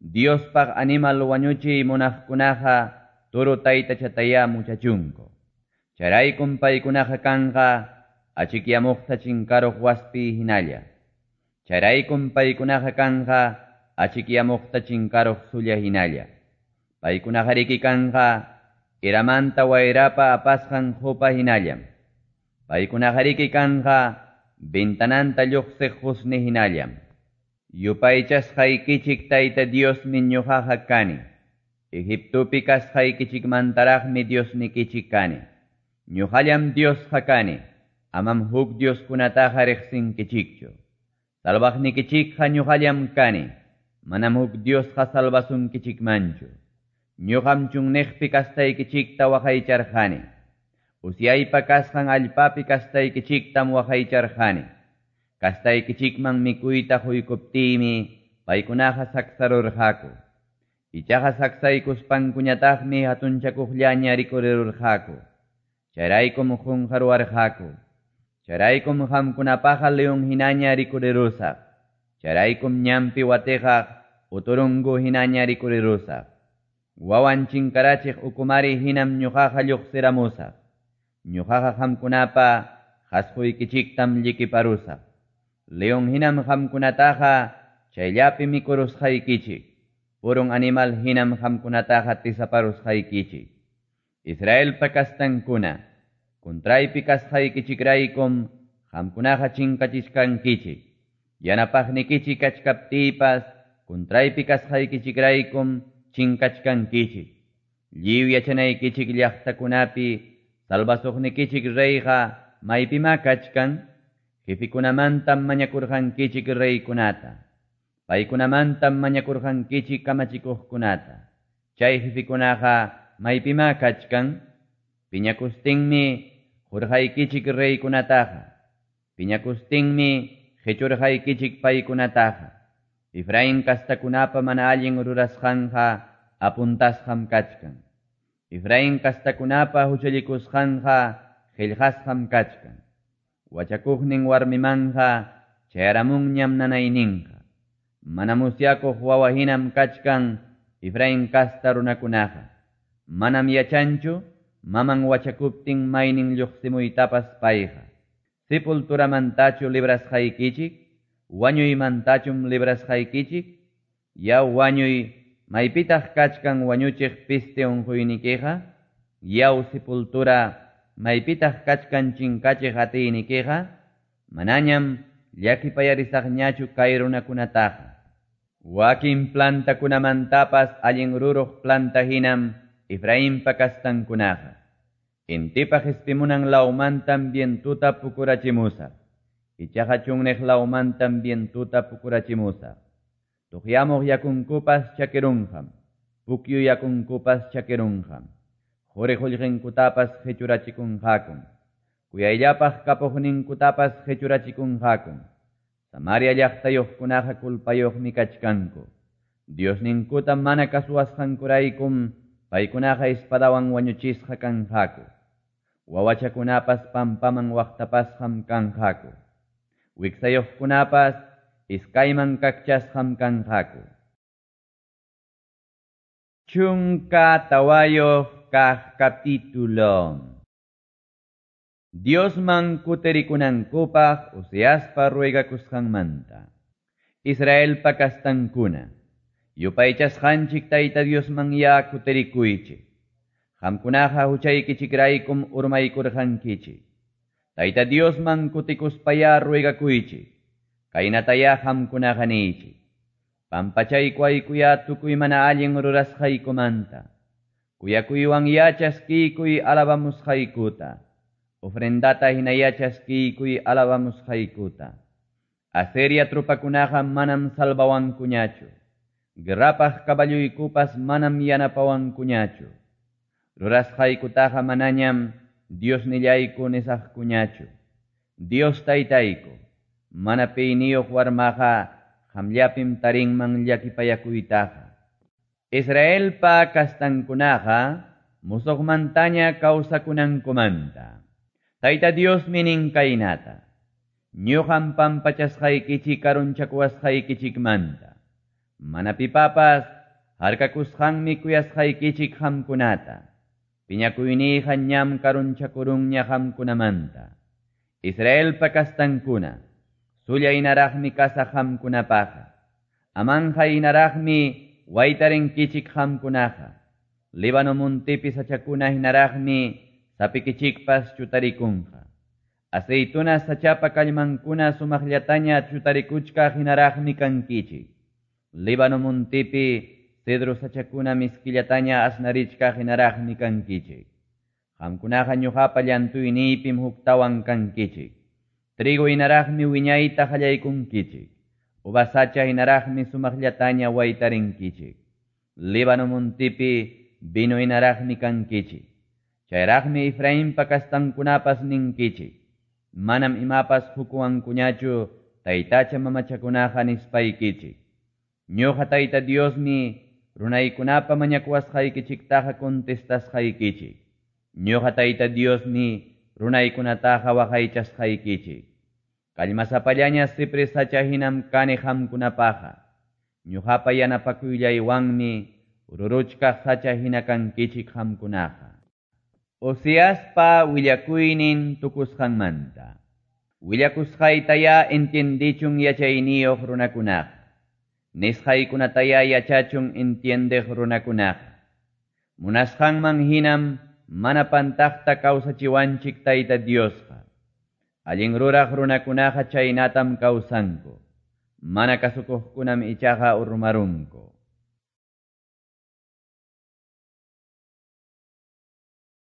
Diospaq animal wañuchiy munaqkunaqa turu taytachatayá muchachunku. Chayraykum paykunaqa kanqa achikyamuqta chinkaruq waspi hinalla. Chayraykum paykunaqa kanqa achikyamuqta chinkaruq sulla hinalla. Paykunaqariki kanqa iramanta wayrapa apasqan qupa hinallam. Paykunaqariki kanqa ventananta lluqsiq qusni hinallam. Yupaychasqaykichik Tayta Diosmi ñuqaqa kani. Egiptopi kasqaykichikmantaraqmi Diosnikichik kani. Ñuqallam Diosqa kani. Amam huk Dioskunataqa riqsinkichikchu. Salvaqnikichikqa ñuqallam kani. Manam huk Diosqa salvasunkichikmanchu. Ñuqam chunniqpi kastaykichikta waqaycharqani. Usyaypa kasqan allpapi kastaykichiktam waqaycharqani. Kastaykichikman mikuyta quykuptiymi paykunaqa saksarurqaku. Ichaqa saksaykuspankuñataqmi hatunchakuqllaña rikurirurqaku. Chayraykum qunqaruwarqaku. Chayraykum qamkunapaqa león hinaña rikurirusaq. Chayraykum ñanpi watiqaq uturungu hinaña rikurirusaq. Wawan chinkarachiq ukumari hinam ñuqaqa lluqsiramusaq. Ñuqaqa qamkunapa qasquykichiktam llikiparusaq. León hinam qamkunataqa chayllapi mikurusqaykichik. Purun animal hinam qamkunataqa tisaparusqaykichik. Israelpa kastankuna, Contraypi kasqaykichikraykum qamkunaqa chinkachichkankichik. Yanapaqnikichik kachkaptiypas contraypi kasqaykichikraykum chinkachkankichik. Lliw yachanaykichik llaqtakunapi salvasuqnikichik reyqa maypima kachkan. Jefikunamantam mañakurqankichik reykunata. Paykunamantam mañakurqankichik kamachikuqkunata. Chay jefikunaqa maypima kachkan. Piñakustinmi qurqaykichik reykunataqa. Piñakustinmi qechurqaykichik paykunataqa. Efraín kastakunapa mana allin rurasqanqa apuntasqam kachkan. Efraín kastakunapa huchallikusqanqa qillqasqam kachkan. Wachakuqnin warmimanqa chayaramunñam nanayninqa. Mana musyakuq wawa hinam kachkan Efraín kasta runakunaqa. Manam yachanchu maman wachakuptin maynin lluqsimuytapas payqa. Sepulturamantachu librasqaykichik, wañuymantachum librasqaykichik, yaw wañuy maypitaq kachkan wañuchiq piste unquynikiqa, yaw sepultura maypitaq kachkan chinkachiq atiynikiqa, manañam llakipayarisaqñachu kay runakunataqa. Wakin plantakunamantapas allin ruruq planta hinam Efrainpa kastankunaqa. Intipa qispimunan lawmantam vientuta pukurachimusaq. Ichaqa chunniq lawmantam vientuta pukurachimusaq. Tuqyamuq yakunkupas chakirunqam, pukyu yakunkupas chakirunqam. Quri qullqinkutapas qichurachikunqakum. Kuyayllapaq kapuqninkutapas qichurachikunqakum. Samaria llaqtayuqkunaqa culpayuqmi kachkanku. Diosninkuta mana kasuwasqankuraykum paykunaqa espadawan wañuchisqa kanqaku. Wawachakunapas pampaman waqtapasqam kanqaku. Wiksayuqkunapas iskayman kakchasqam kanqaku. Chunka tawayuq kaq capítulo. Diosman kuterikunankupaq Oseaspa ruegakusqanmanta. Israelpa kastankuna, yupaychasqanchik Tayta Diosman ya kuterikuychik. Qamkunaqa huchaykichikraykum urmaykurqankichik. Tayta Diosman kutikuspaya ruegakuychik. Kaynataya qamkunaqa niychik. Pampachaykuaykuya tukuy mana allin rurasqaykumanta. Kuyakuywan yachaskiykuy alabamusqaykuta. Ofrendata hina yachaskiykuy alabamusqaykuta. Asiria trupakunaqa manam salvawankuñachu. Guerrapaq kaballuykupas manam yanapawankuñachu. Rurasqaykutaqa manañam Diosnillayku nisaqkuñachu. Dios taytayku, mana piyniyuq warmaqa qamllapim tarinman llakipayakuytaqa. Israelpa kastankunaqa musuqmantaña kawsakunankumanta. Tayta Diosmi nin kaynata. Ñuqam pampachasqaykichik karunchakuwasqaykichikmanta. Mana pipapas harkakusqanmi kuyasqaykichik qamkunata. Piñakuyniyqa ñam karunchakurunña qamkunamanta. Israelpa kastankuna, sullaynaraqmi kasaq qamkunapaqa. Amanqaynaraqmi waytarinkichik qamkunaqa. Líbano muntipi sachakuna hinaraqmi sapikichikpas chutarikunqa. Aceituna sachapa kallmankuna sumaqllataña chutarikuchkaq hinaraqmi kankichik. Líbano muntipi cedro sachakuna miskillataña asnarichkaq hinaraqmi kankichik. Qamkunaqa ñuqapa llantuyniypim huktawan kankichik. Trigo hinaraqmi wiñayta qallaykunkichik. Uva sacha hinaraqmi sumaqllataña waytarinkichik. Líbano muntipi vino hinaraqmi kankichik. Chayraqmi Efrainpa kastankunapas ninkichik. Manam imapas hukuwankuñachu taytacha mamachakunaqa nispaykichik. Ñuqa Tayta Diosmi runaykunapa mañakuwasqaykichiktaqa contestasqaykichik. Ñuqa Tayta Diosmi runaykunataqa waqaychasqaykichik. Kallmasapallaña cipres sacha hinam kani qamkunapaqa. Ñuqapa yanapakuyllaywanmi ruruchkaq sacha hina kankichik qamkunaqa. Oseaspa willakuynin tukusqanmanta. Willakusqaytaya entiendichun yachayniyuq runakunaqa. Nisqaykunataya yachachun entiendeq runakunaqa. Munasqanman hinam mana pantaqta kawsachiwanchik Tayta Diosqa. Allin ruraq runakunaqa chaynatam kawsanku. Mana kasukuqkunam ichaqa urmarunku.